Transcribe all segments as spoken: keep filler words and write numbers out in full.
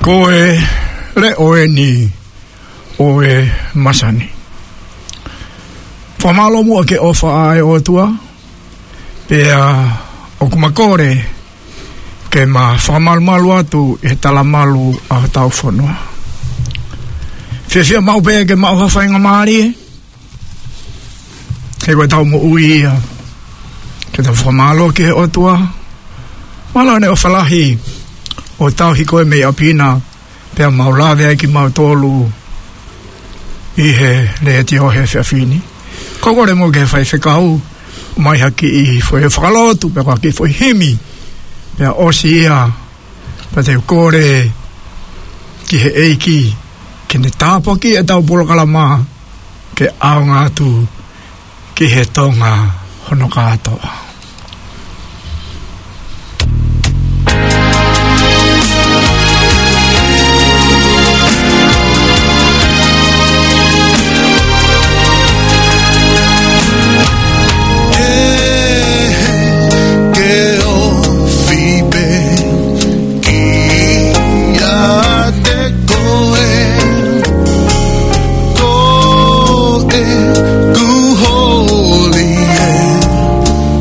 Ko e leʻo eni ʻo e masani. Fakamālō muʻa ki he ʻofa ʻa e ʻOtua, pea ʻoku ma kole ke ma fakamalumalu atu ʻi he talamalu ʻa hotau fonua. Fiefia maʻu pē ke maʻu ha faingamālie, he ko ʻetau moʻui ia ke tau fakamālō ki he ʻOtua. Mālō ʻene ʻofa lahi ʻo tauhi koe mei ʻapi na, pea mau lave ai kimautolu ʻi he letiō he efiafi ni. Ko e kole mo e faifekau, mai ha kiʻi foʻi fakalotu, pe ko ha kiʻi foʻi himi, pea ʻosi ia, pea te u kole ki he ʻEiki ke ne tāpuakiʻi ʻetau polokalama ke ʻaonga atu ki he Tonga hono kātoa. Ke ofi pē kiate koe, ko ʻeku holi ē,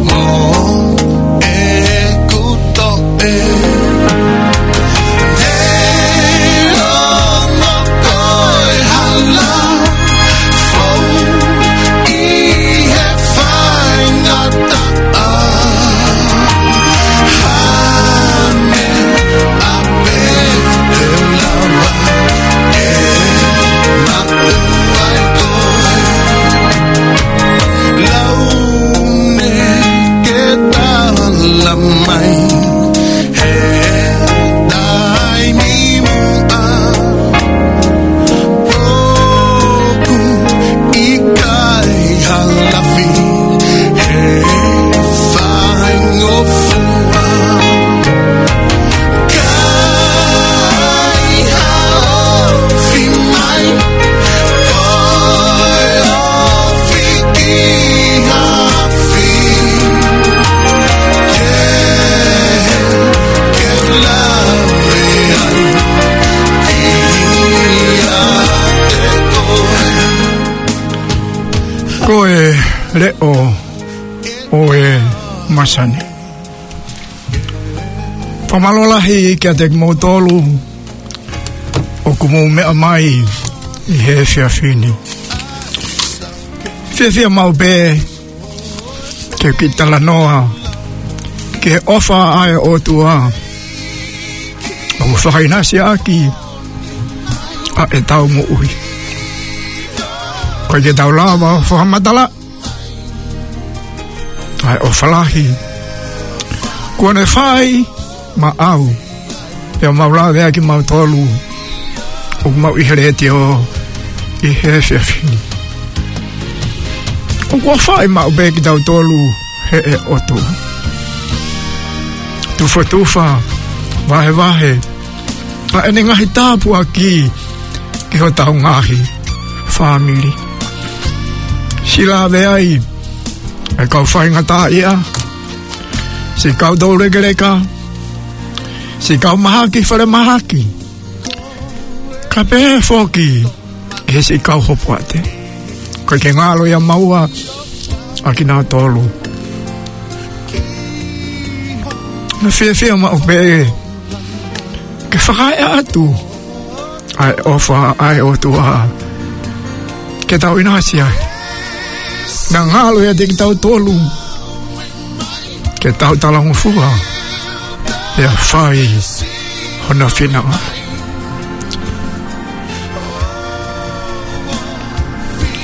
mo ʻeku toʻe. Te ongo koe hala fou ʻi he faingataʻa. Hane ʻa pē te u lava ke maʻu ai koe. Lau ne ke tala mai he taimi muʻa, ʻoku ʻikai ha lafi he faingofua. Kai ha ofi mai, ko e ofi ki ha afi. Ke, ke lave ai kiate koe. Ko e leʻo ʻo e masani. Fakamālō lahi kiate kimoutolu ʻoku mou meʻa mai ʻi he efiafi ni. Fiefia maʻu pē ke u kiʻi talanoa ki he ʻofa ʻa e ʻOtua ʻoku fakaʻinasi ʻaki ʻa ʻetau moʻui. ʻOku ʻikai ke tau lava fakamatala ʻa e ʻofa lahi kuo ne fai maʻau, pea mau lave ai kimautolu ʻoku mau ʻi he letiō ʻi he efiafi ni. ʻOku ʻofaʻi maʻu pē kitautolu ʻe he ʻOtua. Tufatufa, vahevahe ʻa ʻene ngaahi tāpuaki ki hotau ngaahi fāmili. Siʻi lave ai ʻa e kau faingataʻaʻia, siʻi kau toulekeleka, siʻi kau mahaki falemahaki, kae pehē foki ki he siʻi kau hopoate. ʻOku ʻikai ke ngalo ia maua ʻa kinautolu. Naʻa fiefia maʻu pē ke fakaeʻa atu ʻa e ʻofa ʻa e ʻOtua ke tau ʻinasi ai. Naʻa ngalo ia ʻiate kitautolu ke tau talangofua pea fai hono finangalo.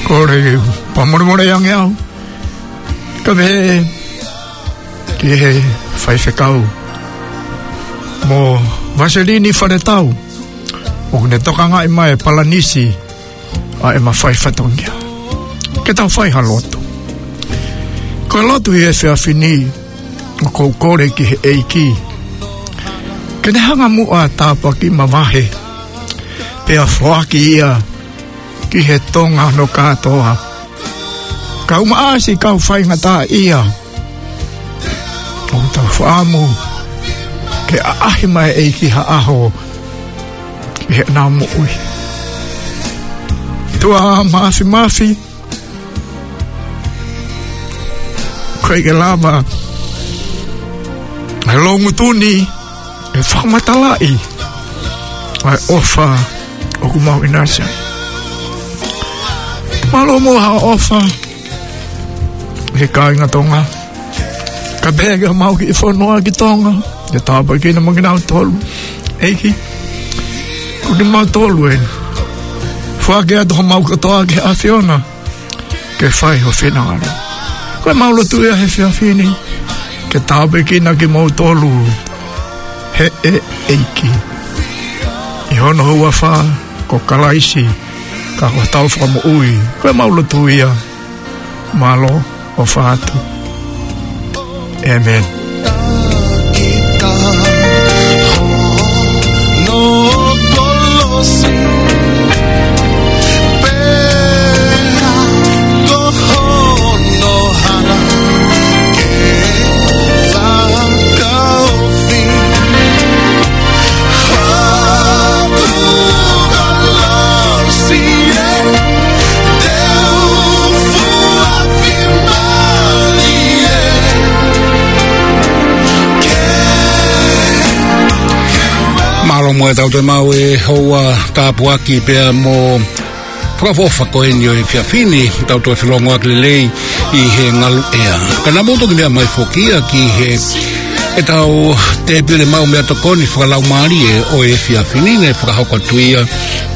Kole ke u fakamolemole ange au, kae pehē ki he faifekau mo Vaselini Faletau, ʻoku ne tokangaʻi mai e palanisi ʻa ʻema fai fatongia. Ke tau fai ha lotu. Ko e lotu ʻi he efiafi ni, ʻoku ou kole ki he ʻEiki ke ne hanga muʻa ʻo tāpuakiʻi, mavahe, pea foaki ia ki he Tonga hono kātoa. Kau maʻasi, kau faingataʻaʻia. ʻOku tau fakaʻamu ke ʻaʻahi mai e ʻEiki ha ʻaho ki heʻena moʻui. ʻOtua Māfimafi, ʻoku ʻikai ke lava ʻe he loungutu ni ke fakamatalaʻi ʻa e ʻofa ʻoku mau ʻinasi ai. Mālō muʻa hoʻo ʻofa ki he kāinga Tonga, kae pehē ki homau kiʻi fonua ki Tonga, ke tāpuekina mo kinautolu. ʻEiki, ʻoku kimautolu eni. Foaki atu homau kotoa ki he ʻAfiona ke fai ho finangalo. Ko ʻemau lotu ia he efiafi ni, ke tāpuekina kimoutolu ʻe he ʻEiki, ʻi hono huafa ko Kalaisi, ka ko hotau Fakamoʻui. Ko ʻemau lotu ia, mālō, ʻofa atu. ʻĒmeni. Mālō muʻa ʻetau toe maʻu e houa tāpuaki pea mo fakaʻofoʻofa ko eni ʻo e efiafi ni, tau toe felongoaki lelei ʻi he ngaluʻea. Ka naʻa mou toki meʻa mai foki ia ki he, ʻetau tēpile maʻu meʻatokoni fakalaumālie ʻo e efiafi ni, naʻe fakahoko atu ia ʻe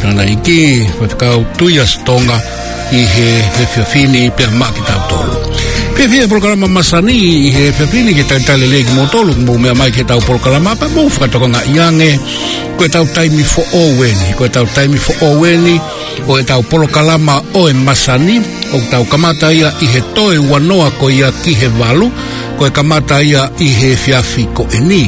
Tangataʻeiki Faifekau Tuiasi Tonga ʻi he, he efiafi ni pea maʻa kitautolu. Fiefia he polokalama masani ʻi he efiafi ni ke talitali lelei kimoutolu, mou meʻa mai ki heʻetau polokalama pea mou fakatokangaʻi ange, ko ʻetau taimi foʻou eni, ko ʻetau taimi foʻou eni ʻo ʻetau polokalama ʻo e masani, ʻoku tau kamata ia ʻi he toe uanoa ko ia ki he valu, ko e kamata ia ʻi he efiafi ko eni.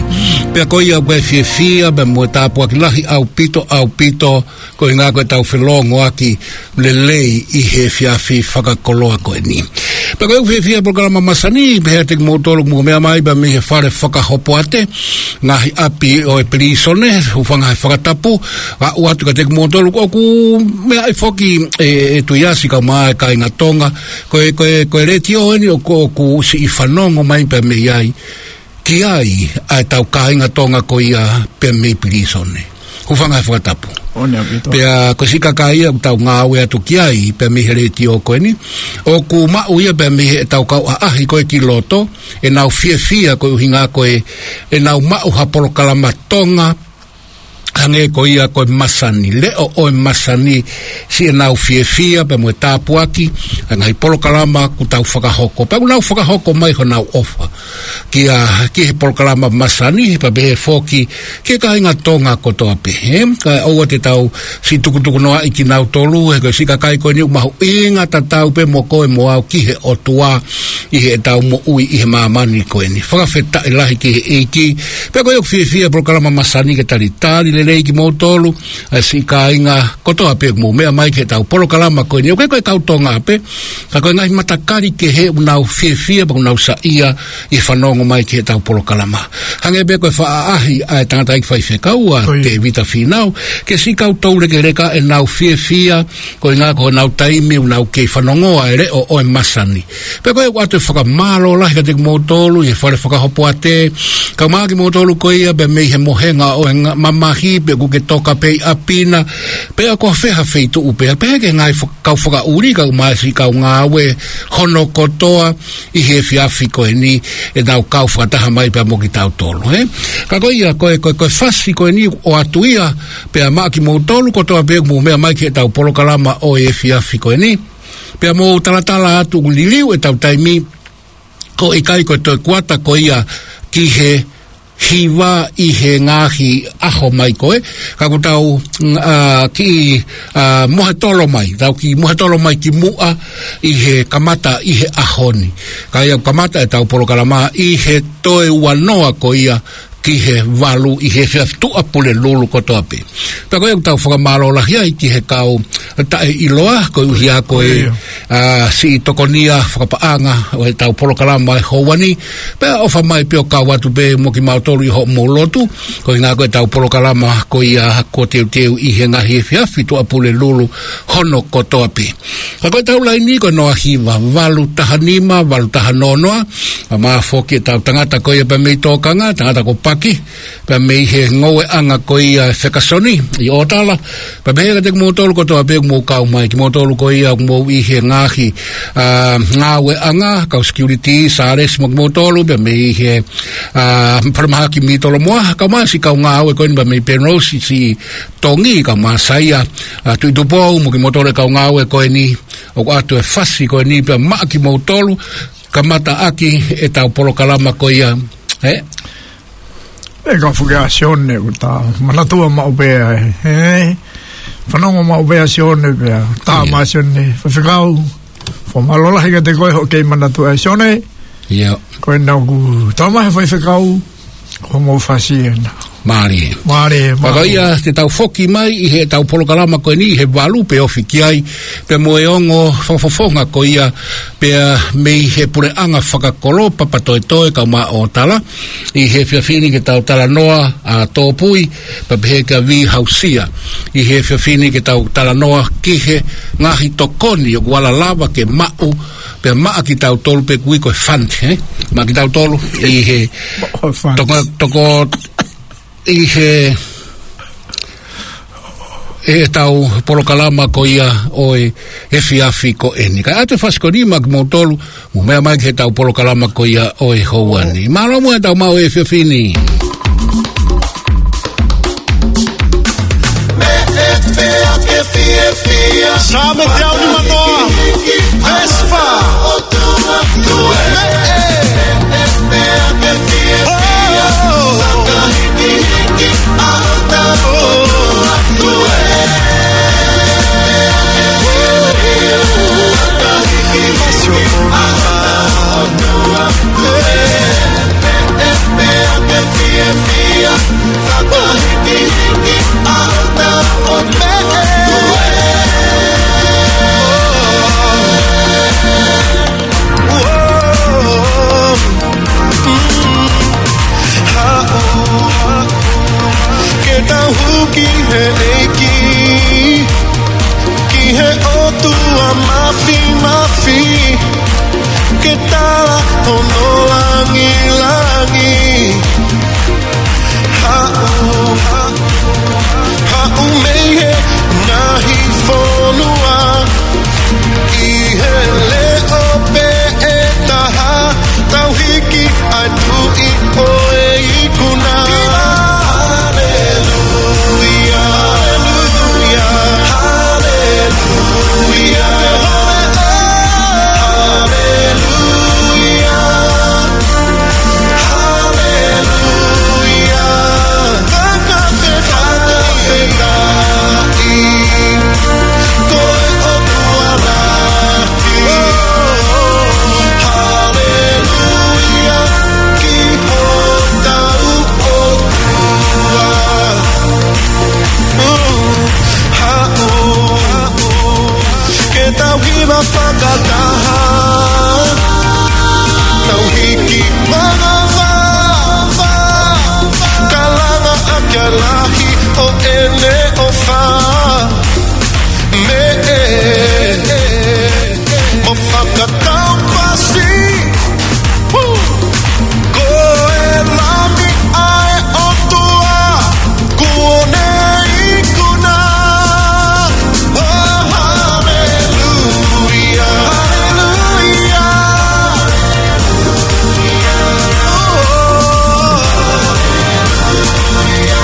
Pea ko ia ʻoku ou fiefia pea mo e tāpuaki lahi ʻaupito, ʻaupito, koeʻuhinga ko ʻetau felongoaki lelei ʻi he efiafi fakakoloa ko eni. Pea ko ʻeku fiefia he polokalama masani, pehē kiate kimoutolu ʻoku mou meʻa mai pea mei he fale fakahopoate, ngaahi ʻapi ʻo e pilīsone, hūfanga he fakatapu, aʻu atu kiate kimoutolu ʻoku meʻa ai foki ʻe, ʻe Tuiasi kae ʻumaʻā e kāinga Tonga, ko e, ko e, ko e letiō eni ʻoku, ʻoku siʻi fanongo mai pea mei ai ki ai ʻa ʻetau kāinga Tonga ko ia pea mei pilīsone. Hūfanga he fakatapu. ʻOku ne apito. Pea ko e siʻi kakai ia ʻoku tau ngāue atu ki ai pea mei he letiō ko eni, ʻoku maʻu ia pea mei heʻetau kau ʻaʻahi ko ē ki loto, ʻenau fiefia koeʻuhinga ko e, ʻenau maʻu ha polokalama Tonga, hangē ko ia ko e masani, leʻo ʻo e masani, siʻenau fiefia pea mo e tāpuaki ʻa e ngaahi polokalama ʻoku tau fakahoko. Pea ʻoku nau fakahoko mai honau ʻofa kia, ki he polokalama masani, pea pehē foki ki he kāinga Tonga kotoa pē, ē? Kae ʻoua te tau siʻi tukutukunoaʻi kinautolu, he ko e siʻi kakai ko eni ʻoku mahuʻinga tatau pē mo koe mo au ki he ʻOtua ʻi heʻetau moʻui ʻi he māmani ko eni. Fakafetaʻi lahi ki he ʻEiki. Pea ko ia ʻoku fiefia he polokalama masani ke talitali lelei kimoutolu, ʻa e siʻi kāinga kotoa pē ʻoku mou meʻa mai ki heʻetau polokalama ko eni. ʻOku ʻikai ko e kau Tonga pē, ka ko e ngaahi matakali kehe ʻoku nau fiefia pea ʻoku nau saiʻia ʻi he fanongo mai ki heʻetau polokalama. Hangē pē ko e faʻa ʻaʻahi ʻa e tangataʻeiki faifekau ʻa Tēvita Fīnau, ki he siʻi kau toulekeleka ʻenau fiefia, koeʻuhinga ko honau taimi ʻoku nau kei fanongoa e leʻo ʻo e masani. Pea ko ia ʻoku ʻoatu e fakamālō lahi kiate kimoutolu ʻi he fale fakahopoate, kae ʻumaʻā kimoutolu ko ia pea mei he mohenga ʻo e nga-, mamahi pe ʻoku ke toka pē ʻi ʻapi na, pe ʻoku ʻi fē ha feituʻu pē, pea ki he ngaahi fak-, kau fakaʻuli kae ʻumaʻā e siʻi kau ngāue hono kotoa ʻi he efiafi ko eni, ʻenau kau fakataha mai pea mo kitautolu, ē? Ka ko ia, ko e, ko e, ko e fasi ko eni ʻoku ʻoatu ia pea maʻa kimoutolu kotoa pē ʻoku mou meʻa mai ki heʻetau polokalama ʻo e efiafi ko eni. Pea mou talatala atu ʻoku liliu ʻetau taimi, ʻoku ʻikai ko e toe kuata ko ia ki he hiva ʻi he ngaahi ʻaho mai ko ē, ka ʻoku tau, ʻa, kiʻi, ʻa, mohetolo mai, tau kiʻi mohetolo mai ki muʻa ʻi he kamata ʻi he ʻaho ni. Ka ia ʻoku kamata ʻetau polokalama ʻi he toe uanoa ko ia ki he valu ʻi he efiafi Tuʻapulelulu kotoa pē. Pea ko ia ʻoku tau fakamālō lahi ai ki he kau taʻeʻiloa, koeʻuhi ko e, ʻIo. ʻa, siʻi tokonia fakapaʻanga ʻo ʻetau polokalama ʻi he houa ni, pea ʻofa mai pē ʻo kau atu pē mo kimautolu ʻi hoʻomou lotu, koeʻuhi ko ʻetau polokalama ko ia kuo teuteu ʻi he ngaahi efiafi Tuʻapulelulu hono kotoa pē. Ka ko ʻetau laini ko e noa hiva valu taha nima, valu taha noa noa, ʻa, mo e foki ʻetau tangata ko ia pea mei Tōkanga, tangata ko Paki, pea mei he ngoueʻanga ko ia ʻe Fekasoni ʻi ʻOtala, pea pehē kiate kimoutolu kotoa pē ʻoku mou kau mai, kimoutolu ko ia ʻoku mou ʻi he ngaahi, ʻa, ngāueʻanga, kau security, Sālesi mo kimoutolu, pea mei he, ʻa, Paremahaki mei Tolomoa, kau mai siʻi kau ngāue ko eni pea mei Penrose, siʻi Tongi, kau mai Saia, ʻa, Tuʻi Tupou, mo kimoutolu e kau ngāue ko eni, ʻoku ʻoatu e fasi ko eni pea maʻa kimoutolu, kamata ʻaki ʻetau polokalama ko ia, ē? ʻE ka fuke ʻa Sione, ʻoku ta manatua maʻu pē ʻa e, ē? Fanongo maʻu pē ʻa Sione pea, tā ʻIo. Mai Sione, faifekau, fakamālō lahi kiate koe hoʻo kei manatua ʻa Sione. ʻIo. Ko ena ʻoku tau mai he faifekau, ko hoʻomou fasi ena. Mālie. Mālie, mālie. Pea ko ia te tau foki mai ʻi heʻetau polokalama ko eni ʻi he valu pe ofi ki ai, pea mo e ongo fakafofonga ko ia, pea mei he puleʻanga fakakolo Papatoetoe kau mai ʻOtala, ʻi he efiafi ni ke tau talanoa ʻa Tōpui, pea pehē kia Vihausia. ʻI he efiafi ni ke tau talanoa ki he ngaahi tokoni ʻoku ala lava ke maʻu, pea maʻa kitautolu pē ʻoku ui ko e fund, ē? Maʻa kitautolu ʻi he Maʻu fund. toko, toko, ʻi he, ʻetau polokalama ko ia ʻo e efiafi ko eni. Kae ʻoatu e fasi ko eni maʻa kimoutolu, mou meʻa mai ki heʻetau polokalama ko ia ʻo e houa ni. Mālō muʻa ʻetau maʻu e efiafi ni. Saame teau nima noa. Vespa. Meʻe. Oh. Ke tau hū ki he ʻEiki, ki he ʻOtua Māfimafi, ke tala hono langilangi. Haʻu, haʻu mei he ngaahi fonua, ʻi he leʻo pē ʻe taha, tau hiki ʻa e tuʻi ʻo e ikuna. Haleluia, haleluia, haleluia, haleluia. Haleluia. Fakafetaʻi, fakafetaʻi. Ko e ʻOtua lahi. Haleluia. Ki hotau ʻOtua. Haʻu, haʻu. Ke tau hiva fakataha, tau hiki mangava, ka langa ʻaki ʻa e lahi ʻo ʻene ʻofa. Meʻe, mo fakatau pasi. Ko e Lami ʻa e ʻOtua, kuo ne ikuna. Oh, haleluia, haleluia. Oh, haleluia.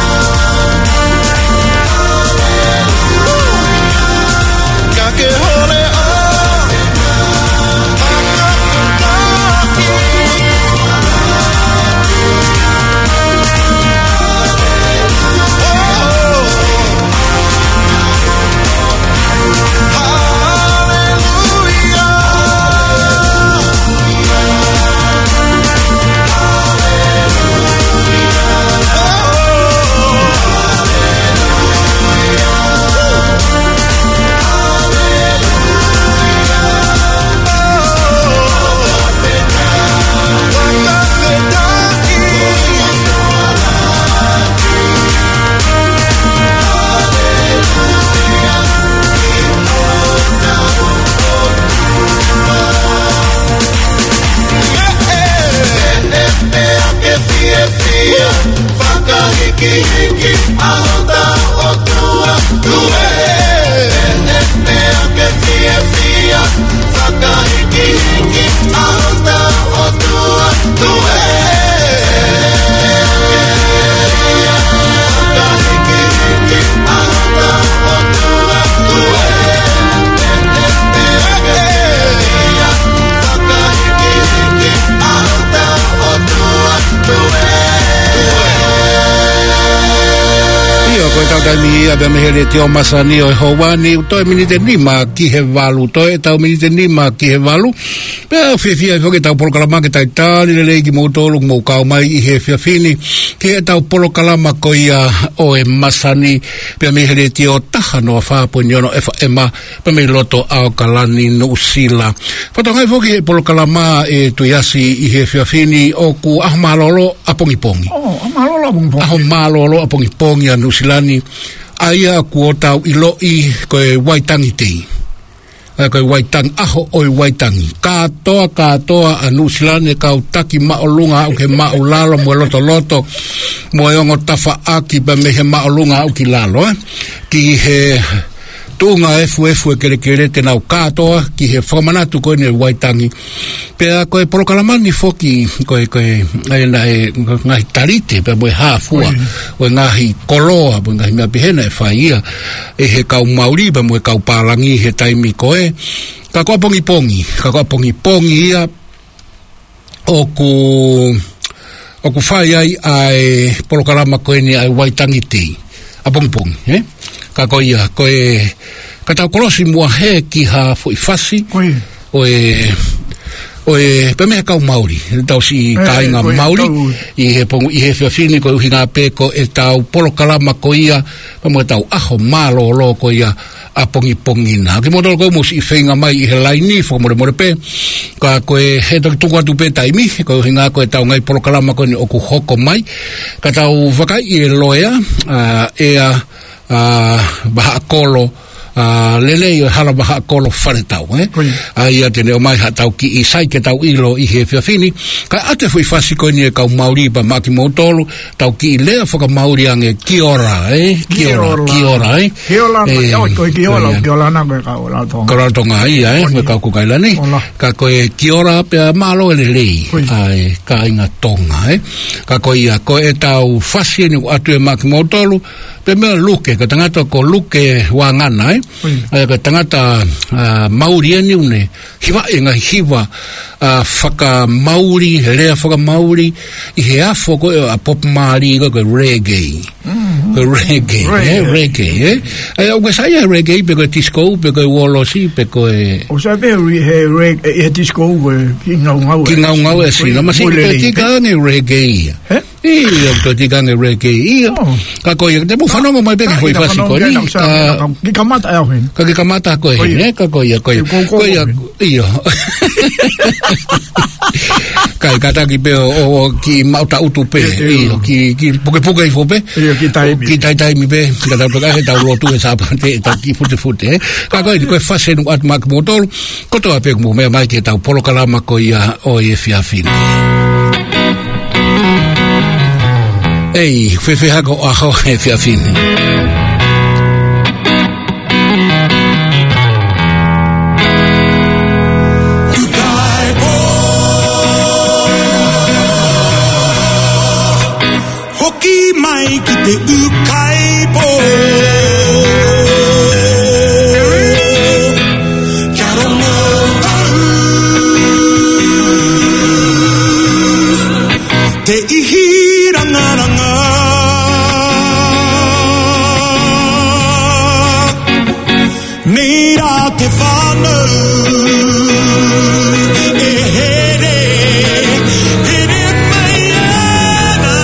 ʻIo, ko e tau taimi ia pea mei he Letiō Masani ʻo e Houa ni, toe miniti ʻe nima ki he valu, toe tau miniti ʻe nima ki he valu. Pea fiefia foki ʻetau polokalama ke talitali lelei kimoutolu ʻoku mou kau mai ʻi he efiafi ni ki heʻetau polokalama ko ia ʻo e Masani, pea mei he Letiō taha noa fā poini ono FM, pea mei loto ʻAokalani, Nuʻusila. Fakatokangaʻi foki he polokalama ʻe Tuiasi ʻi he efiafi ni ʻoku ʻaho mālōlō ʻapongipongi. ʻO, ʻaho mālōlō ʻapongipongi. ʻAho mālōlō ʻapongipongi ʻa Nuʻusila ni, ʻa ia ʻoku tau ʻiloʻi ko e Waitangi Day. ʻA ia ko e Waitangi, ʻaho ʻo e Waitangi. Kātoa, kātoa ʻa Nuʻusila ni, kau taki māʻolunga aʻu ki he māʻulalo mo e lotoloto, mo e ongo tafaʻaki pea mei he māʻolunga aʻu ki lalo, ē. Ki he tuʻunga efuefu e kelekele te nau kātoa ki he fakamanatu ko eni e Waitangi. Pea ko e polokalama ni foki, ko e, ko e, ʻa ia naʻe ngaahi talite pea mo e hā fua, ʻoi, ʻo e ngaahi koloa, mo e ngaahi meʻa pehē naʻe fai ia ʻe he kau Mauli pea mo e kau pālangi he taimi ko ē. Ka ko ʻapongipongi, ka ko ʻapongipongi ia ʻoku, ʻoku fai ai ʻa e polokalama ko eni ʻa e Waitangi Day. ʻApongipongi, ē? Ka ko ia, ko e, ka tau kolosi muʻa hē ki ha foʻi fasi. ʻOi. ʻO e, ʻo e, pea mei he kau Mauli, tau siʻi, ē, kāinga ko e Mauli, tau ʻi he pongipongi, ʻi he efiafi ni, koeʻuhinga pē ko ʻetau polokalama ko ia, pea mo ʻetau ʻaho mālōlō ko ia ʻapongipongi na. Kimoutolu ʻoku mou siʻi feinga mai ʻi he laini, fakamolemole pē, ka ko e he toki tuku atu pē taimi, koeʻuhinga ko ʻetau ngaahi polokalama ko eni ʻoku hoko mai, ka tau vakaiʻi e loea, ʻa, ʻEa, ʻa, Vahaʻakolo, ʻa, Lelei ʻo e Hala Vahaʻakolo Faletau, ē? ʻOi. ʻA ia te ne ʻomai haʻatau kiʻi sai ke tau ʻilo ʻi he efiafi ni, kae ʻoatu e foʻi fasi ko eni e kau Mauli pea maʻa kimoutolu, tau kiʻi lea fakamauli ange kia ora, ē? Kia ora, kia ora, ē? Kia ora, ē, ʻio, ko e kia ora, ko ia. Kia ora na ko e kau Rarotonga. Kau Rarotonga ia, ē? ʻOi. Mo e kau Kukaila ni. ʻOla. Ka ko e kia ora pea mālō e lelei. ʻOi. ʻA e kāinga Tonga, ē? Ka ko ia, ko ʻetau fasi eni ʻoku ʻoatu ē maʻa kimoutolu, pea mei Luke, ko e tangata ko Luke Vangana, ē? ʻOi. ʻA ia ko e tangata, ʻa, Mauli eni ʻoku ne hiva e ngaahi hiva, ʻa, fakamauli, he lea fakamauli, ʻi he afo ko ē ʻa Bob Marley ko e, ko e reggae. Mm. Ko e reggae, reggae, ē? Reggae, ē? ʻA ia ʻoku ke saiʻia he reggae pe ko e disco, pe ko e uōlosi, pe ko e ʻOku ou saiʻia pē he re-, he re-, ʻi he disco ko e kiʻi ngaungau ē. Kiʻi ngaungau ē, sina. Ko e, masini ko e lelei pē. Tika ange reggae ia. Ē? ʻIo, ko e tika ange reggae ia. ʻO. Ka ko ia, te mou fanongo mai pē ki he foʻi fasi ko eni. Ka, ka, ka, kiʻi kamata ʻe au heni. Ka kiʻi kamata ko ē heni, ē? Ka ko ia, ko ia. Ko ia, ko ia. ʻIo. Kae kātaki pē ʻo, ʻo, ʻo kiʻi maʻu taʻutu pē. ʻIo, ʻio. ʻIo, kiʻi, kiʻi pukepuke hifo pē. ʻIo, kiʻi taimi. ʻO kiʻi tai-, taimi pē. Ka tau toka he tau lotu he Sāpate, ʻetau kiʻi futefute, ē? Ka ko eni, ko e fasi eni ʻoku ʻoatu maʻa kimoutolu. Kotoa pē ʻoku mou meʻa mai ki heʻetau polokalama ko ia ʻo e efiafi ni. ʻEi, fēfē hake hoʻo ʻaho he efiafi ni? Hoki mai ki te ʻū kaipō. Kia rongo au. Te ihi rangaranga. Mira te fānau, e here, here mai ana.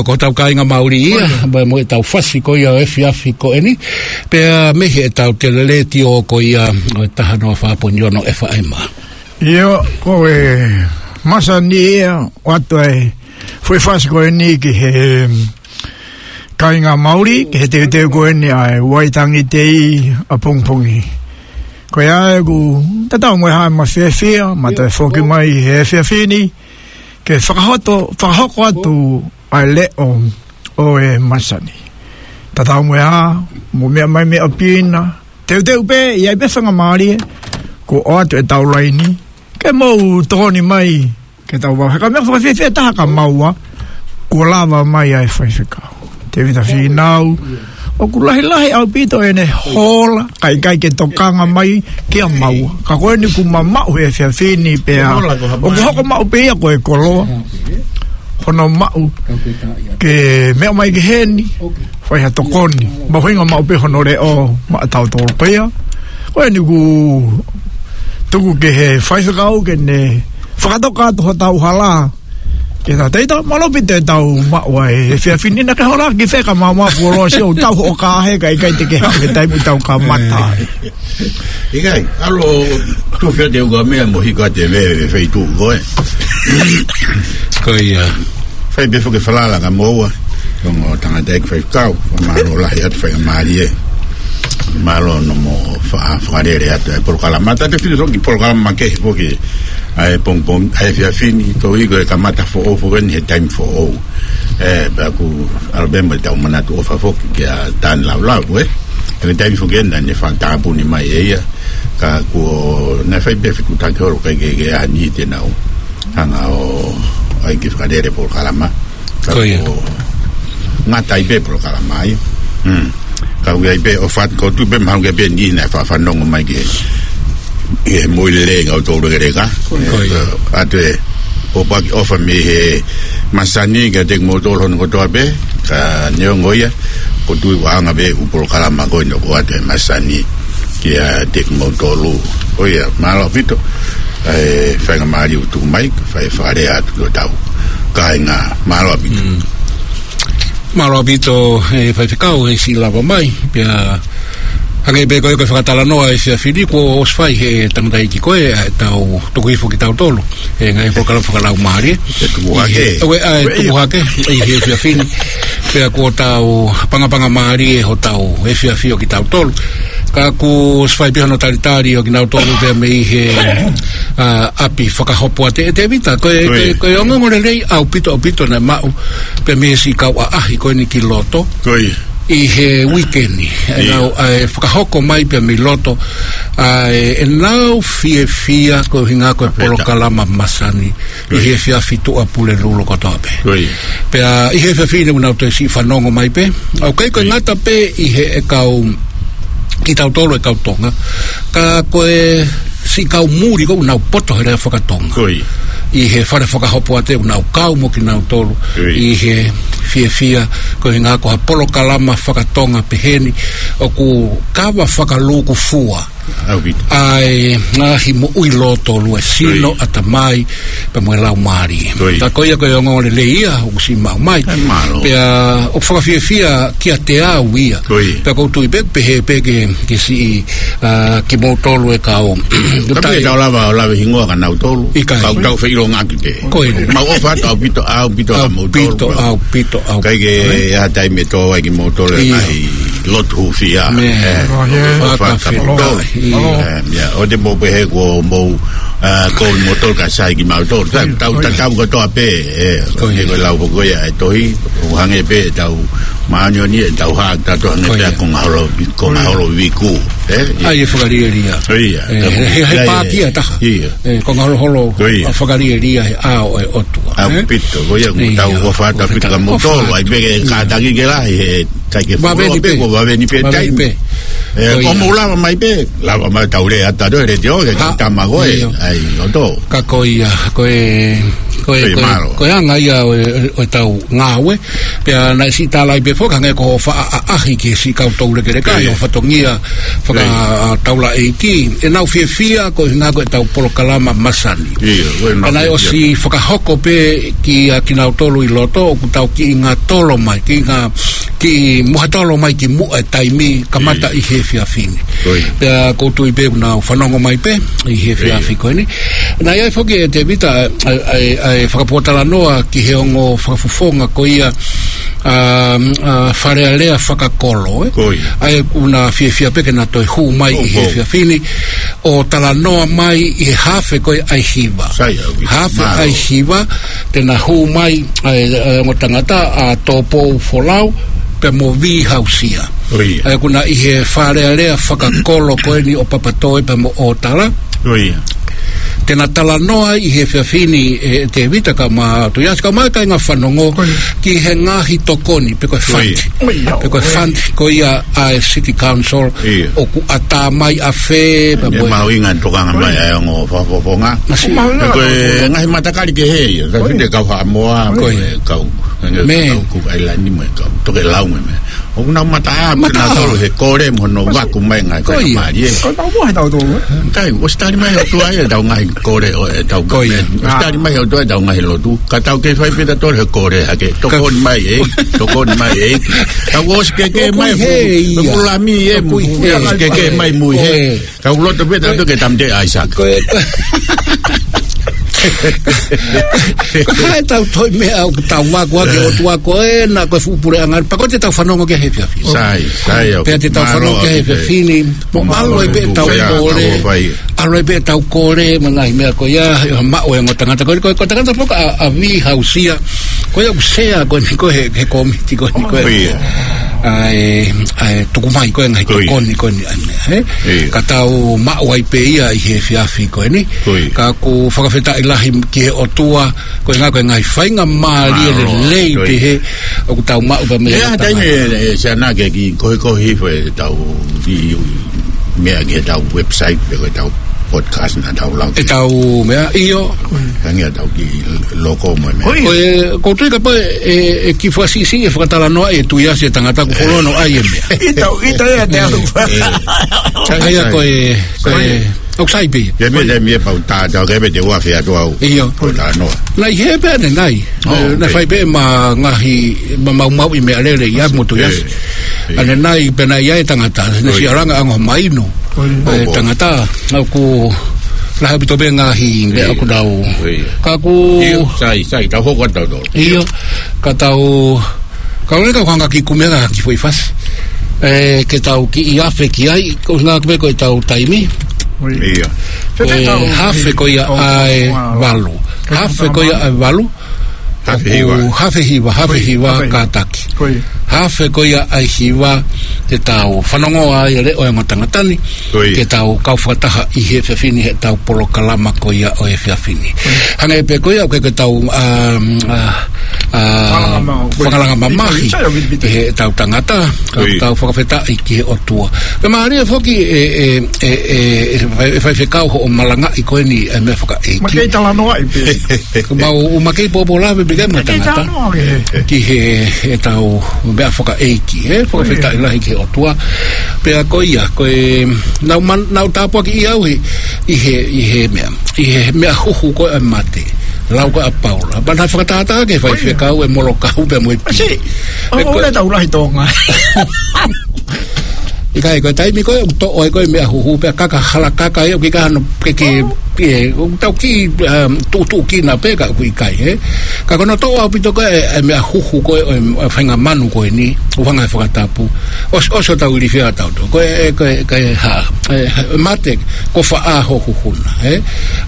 Ko hotau kāinga Mauli ia, mo, mo ʻetau fasi ko ia ʻo e efiafi ko eni, pea mei heʻetau teletiō ko ia ʻo e taha noa fā poini ono F M. ʻIo, ko e masani ia, ʻoatu e foʻi fasi ko eni ki he kāinga Mauli, ki he teuteu ko eni ʻa e Waitangi Tei ʻapongipongi. Ko ia ʻoku tatau mo e hā e mafiefia, ma toe foki mai he efiafi ni, ke fakahoto, fakahoko atu ʻa e leʻo ʻo e masani. Tatau mo e hā, mou meʻa mai meʻa pina, teuteu pē, ʻi ai pē faingamālie, kuo ʻoatu ʻetau laini, ke mou tokoni mai, ke tau vau. He ko e meʻa fakafiefia taha kia maua, kuo lava mai ʻa e faifekau Tēvita Fīnau, ʻoku lahilahi ʻaupito ʻene hola, kae ʻikai ke tokanga mai kia maua. Ka ko eni kuo ma maʻu he efiafi ni pea, ʻoku hoko maʻu pē ia ko e koloa, hono maʻu, ke meʻa mai ki heni, fai ha tokoni, mahuʻinga maʻu pē hono leʻo, maʻa tautolu pē ia. Ko eni kuo tuku ki he faifekau ke ne fakatoka atu hotau hala. Ke ta teita, mālō ʻaupito ʻetau maʻu ʻa e efiafi ni, naʻa ke hola ki fē ka maumau kuo loa sio tau hoʻo kahe kae ʻikai te ke haʻu he taimi ʻoku tau kamata ai. ʻIkai, ʻalu ʻo tufi atu e ukamea mo hiko atu e veve feituʻu ko ē. Ko ia. Fai pē foki e falala kia moua. Ongo tangataʻeiki faifekau, mālō lahi atu faingamālie. Mālō hono mo fa-, fakalele atu e polokalama. Tatau pē foki ki he polokalama kehe foki ʻa e pongipongi, ʻa e efiafi ni, koeʻuhi ko e kamata foʻou foki eni he taimi foʻou. ʻE, pea ʻoku ʻalu pē mo ʻetau manatu ʻofa foki kia Tane Laulau, ē. He taimi foki eni naʻa ne fakatāpuni mai ʻe ia. Ka kuo ne fai pē fekutaki holo kae ʻikai ke, ke ʻi ai ha niʻihi te nau hanga ʻo ʻai ke fakalele polokalama. Ka ko ia. Kuo ngata ai pē polokalama ia. Hmm. Ka ʻoku ʻi ai pē ʻofa atu, ʻoku ou tui pē mahalo ʻoku ʻi ai pē niʻihi naʻe faʻa fanongo mai ki he, ki he moʻui lelei ʻa kinautolu ʻi Leka. Ko ia. ʻE, ʻoatu e pōpoaki ʻofa mei he masani kiate kimoutolu hono kotoa pē, ka neongo ia, ʻoku ou tui ʻoku anga pē ʻū polokalama ko eni ʻoku ʻoatu e masani kiate kimoutolu. Ko ia, mālō ʻaupito. ʻA e faingamālie ʻoku tuku mai, fai fakalea atu ki hotau kāinga, mālō ʻaupito. Mm. Mālō ʻaupito, ʻe faifekau, he siʻi lava mai, pea hangē pē ko e, ko e fakatalanoa ʻa e efiafi ni kuo ʻosi fai he tangataʻeiki ko ē, ʻa ʻetau tuku hifo kitautolu he ngaahi polokalama fakalaumālie. Ke tuku hake. ʻI he, ʻo e, ʻa e tuku hake, ʻi he efiafi ni. Pea kuo tau pangapanga mālie hotau efiafi ʻo kitautolu. Ka kuo ʻosi fai pē hono talitali ʻo kinautolu pea mei he, ʻa, ʻapi fakahopo ʻa Tē-, Tēvita, ko e, ko e, ko e ongoongo lelei ʻaupito, ʻaupito naʻe maʻu pea mei he siʻi kau ʻaʻahi ko eni ki loto. Ko ia. ʻI he uike ni, ʻenau, ʻa e fakahoko mai pea mei loto, ʻa e, ʻenau fiefia koeʻuhinga ko e polokalama masani ʻi he efiafi Tuʻapulelulu kotoa pē. Ko ia. Pea ʻi he efiafi ni ʻoku nau toe siʻi fanongo mai pē. ʻOku ʻikai ko e ngata pē ʻi he ʻe kau kitautolu ʻe kau Tonga. Ka ko e siʻi kau muli ko ē ʻoku nau poto he lea fakatonga. Ko ia. ʻI he fale fakahopo ʻa Tē ʻoku nau kau mo kinautolu. Ko ia. ʻI he fiefia koeʻuhinga ko ha polokalama fakatonga pehē ni ʻoku kava fakalūkufua ʻaupito. ʻA e ngaahi moʻui lōtolu, e sino, ʻatamai, pea mo e laumālie. Ko ia. Ka ko ia ko e ongoongo lelei ia ʻoku siʻi maʻu mai. ʻE, mālō. Pea ʻoku fakafiefia kiate au ia. Ko ia. Pea ʻoku ou tui pē, pehē pē ke, ke siʻi, ʻa, kimoutolu ʻe kau. Ka pē tau lava, lava hingoa kia nautolu. ʻIkai. Kau tau feʻiloaki pē. Ko ia. Mau ʻofa atu ʻaupito, ʻaupito, ʻaupito, ʻaupito, ʻaupito, ʻaupito. ʻIkai ke ʻi ai ha taimi ʻe tō ai kimoutolu ʻi he ngaahi lotu hūfia. ʻE, ʻofa atu kia moutolu. ʻIo. ʻE, ia, ʻoua te mou pehē kuo mou, ʻa, ko moutolu ka sai kimautolu. Tau, tau, tau kotoa pē, ʻe, ko ia. Ko e lau ko ia ʻa e tohi, ʻo hangē pē ʻetau māʻoniʻoni, ʻetau hā, tau hangē pē ko ia. Ko e konga holo, ko e konga holo viku, ʻe, ia. ʻA ia ʻe fakalielia. Ko ia. ʻE, he, he, he pātia taha. Ia. ʻE, konga holoholo, ko ia. ʻA fakalielia he ʻao ʻo e ʻOtua, ʻe? ʻAupito, ko ia, ʻoku tau ʻofa atu ʻaupito kia moutolu, ʻai pē ke kātaki ke lahi, he ʻikai ke fuoloa pē, ko e vave ni pē taimi. ʻE, ko ia. ʻOku mou lava mai pē, lava mai tau lea atu ʻa e letiō, ke tama ko ē, ʻai, ʻoto. Ka ko ia, ko e Ko e, Pei ko e, mālō. Ko e anga ia ʻo e, ʻo e tau ngāue. Pea naʻe siʻi tālai pē foki, hangē ko e faʻa ʻaʻahi ki he siʻi kau toulekeleka, Pei. ʻi he fatongia faka-, Pei. ʻa, taulaʻeiki. ʻEnau fiefia, ko e ʻuhinga ko e tau polokalama masani. Ia, ko e Pea naʻe fiefia. ʻOsi fakahoko pē kia kinautolu ʻi loto, ʻoku tau kiʻi ngātolo mai, kiʻi ngā, kiʻi muhatolo mai ki muʻa e taimi, kamata Ia. ʻi he efiafi ni. Ko ia. Pea ʻoku ou tui pē ʻoku nau fanongo mai pē, ʻi he efiafi Ia. ko eni. Naʻe ʻi ai foki ʻe Tēvita, ʻa, ʻa, ʻa, ʻa e fakapōtalanoa ki he ongo fakafofonga ko ia, ʻa, ʻa, Fale Alea Fakakolo, ē? Ko ia. ʻA ia ʻoku na fiefia pē ke na toe hū mai ʻi he Ko, ko. efiafi ni, ʻo talanoa mai ʻi he hafe ko ia ʻa e hiva. Sai, au ki. Hafe Mālō. ʻa e hiva, te na hū mai ʻa e, ʻa e ongo tangata ʻa Tōpou Folau, pea mo Vī Hausia. Ko ia. ʻA ia ʻoku na ʻi he Fale Alea Fakakolo ko eni ʻo Papatoe pea mo ʻŌtala. Ko ia. Te na talanoa ʻi he efiafi ni, ʻe, ʻe Tēvita kae ʻumaʻā Tuʻiasi kae ʻumaʻā e kāinga fanongo Ko ia. ki he ngaahi tokoni, pe ko e Ko ia. fund. Ko ia. Pe ko e fund ko ia ʻa e City Council, Ia. ʻoku ʻatā mai ʻa fē, pea Ia mo e mahuʻinga tokanga mai ʻa e ongo fakafofonga. Masi. Mahuʻinga Ko e tokanga. ngaahi matakali kehe ia, ka Ko ia. fite kau Haʻamoa, Ko ia. mo e kau, mo e Mē. kau Kuki ʻAilani, mo e kau Tokelau mo e meʻa. ʻOku nau mataʻā, Mataʻā. kinautolu he kole mo hono vaku mai ngaahi Ko ia. faingamālie. Ko tau mo he tau tolu, ē? Kai, ʻosi tali mai ʻe he ʻOtua ia ʻetau ngaahi kole ʻo ʻetau Ko ia. government. ʻOsi Ah. tali mai ʻe he ʻOtua ʻetau ngaahi lotu. Ka tau kei fai pē tautolu he kole hake. Ka Tokoni mai ē, tokoni mai ē. Tau ʻosi kehekehe mai Tokui he fu-, ia. fulami ē, Tokui mu-, he. ʻosi kehekehe mai mui he. Ko ē. Kau loto pē tautolu ke tamte ʻAisake. Ko e, ko e. Ko e tau toi meʻa ʻoku tau vaku ake ʻOtua ko ē, na ko e fuʻu puleʻanga. Pea ko ē te tau fanongo ki he efiafi. Sai, sai au. Pea te tau Mālō fanongo ki he au, efiafi ni. Mo Mālō ʻalu ai pē au, tau Fea, kole. Tau fai. ʻAlu ai pē tau kole, mo e ngaahi meʻa ko ia, ʻe maʻu ʻe he ongo tangata. Ko e, ko e, ko e tangata foki ʻa, ʻa Vī Hausia. Ko ia ʻoku sea ko eni ko ē he, he kōmiti ko eni ko ē. Ko ia. ʻA e, ʻa e tuku mai ko ē ngaahi Ko ia. tokoni ko eni ʻa e meʻa, ē? Ia. Ka tau maʻu ai pē ia ʻi he efiafi ko eni. Ko ia. Ka ʻoku fakafetaʻi lahi ki he ʻOtua, ko e ngaahi, ko e ngaahi faingamālie Mālō, lelei ko ia. pehē, ʻoku tau maʻu pē mei he ʻOtua. Ia, taimi ʻe, ʻe, Siana ke kiʻi kohikohi foʻi tau kiʻi meʻa ki he tau website, pe ko e tau podcast naʻa tau lau. ʻE tau meʻa, ʻio. Hangē tau kiʻi loko mo e meʻa. Ko ia. Ko e, ʻoku ou tui kapau ʻe, ʻe, ʻe kiʻi fakasiʻisiʻi e fakatalanoa ʻe Tuʻiasi e tangata ʻoku fuoloa ʻai e meʻa. ʻIo, ʻio, ia te au. ʻE, ʻe. ʻA ia ko e, ko e, ʻoku sai pē. Ia meʻa, meʻa pau tā, tā, ke meʻa te ua fea tu au. ʻIo. Ko tā noa. Naʻe ʻi hē pē ʻanenai. Oh, Naʻe okay. fai pē ma ngaahi, ma maumauʻi meʻalele ia mo Tuʻiasi. ʻE, ʻe. ʻAnenai pē naʻe ʻi ai e tangata, naʻe Oi. siʻi ʻalu ange ʻo ango ha maino. Oi. ʻE, Oi. tangata, naʻa ku lahi ʻaupito pē ngaahi meʻa Oi. ʻoku nau. Oi. Ka ʻoku ʻIo, sai, sai, tau hoko atu tau tau. ʻIo, ka tau, ka ʻoku ou lava ke u hanga ʻo kiʻi kumi ʻaki ha kiʻi foʻi fasi. ʻE, ke tau kiʻi afe ki ai, ko e ngaahi pē ko e tau taimi. ʻIo. Ko e Fetau. hafe ko ia ʻa e valu. Hafe ko ia ʻa e valu. Hafe hiva. ʻOku hafe hiva, hafe Ko ia, hiva hafe hiva. kātaki. Ko ia. Hafe ko ia ʻa e hiva te tau fanongo ai e leʻo ʻo e ongo tangata ni. Ko ia. Ke tau kau fakataha ʻi he efiafi ni he tau polokalama ko ia ʻo e efiafi ni. Ko ia. Hangē pē ko ia ʻoku ke tau, um, uh, uh, Fakalanga ma-, ko ia. fakalanga mamahi Sai, sai, ʻo viti, viti. ʻi he tau tangata. Ko ia. Tau fakafetaʻi ki he ʻOtua. Pea mālie foki ʻe, ʻe, ʻe, ʻe, ʻe fai-, ʻe faifekau hoʻo malangaʻi ko eni e meʻa fakaʻeiki. Ma kei talanoaʻi pē. Mau, ma kei pōpō lave pē ke ma Ma kei tangata. talanoa ke. Ki he, he tau meʻa fakaʻeiki, he fakafetaʻi Ko ia. lahi ki he ʻOtua. Pea ko ia, ko e, nau man-, nau tāpuakiʻi au he, ʻi he, ʻi he meʻa, ʻi he meʻa huhu ko e mate. Lau ko ē ʻa Paula. Pea naʻe fakatātā ke Ko ia. faifekau e molokau pea mo e pī. Masi, ʻo E ko ʻoua tau lahi Tonga. ʻIkai, ko e taimi ko ē, ʻoku toʻo ai ko ē meʻa huhu, pea kaka hala kaka ē, ʻoku ʻikai hano ke, ke, Oh. ke, ʻoku tau kiʻi, um, tuʻutuʻu kina pē ka ʻoku ʻikai, ē. Ka ko hono toʻo ʻaupito ko ē, e meʻa huhu ko ē, ʻo e, ʻo e faʻahinga manu ko eni, ʻoku hanga ʻe he fakatapu. ʻOsi, ʻosi ʻo tau ilifia tau tō. Ko e, ko e, ko e hā, e, mate, ko faʻa ho huhuna, ē.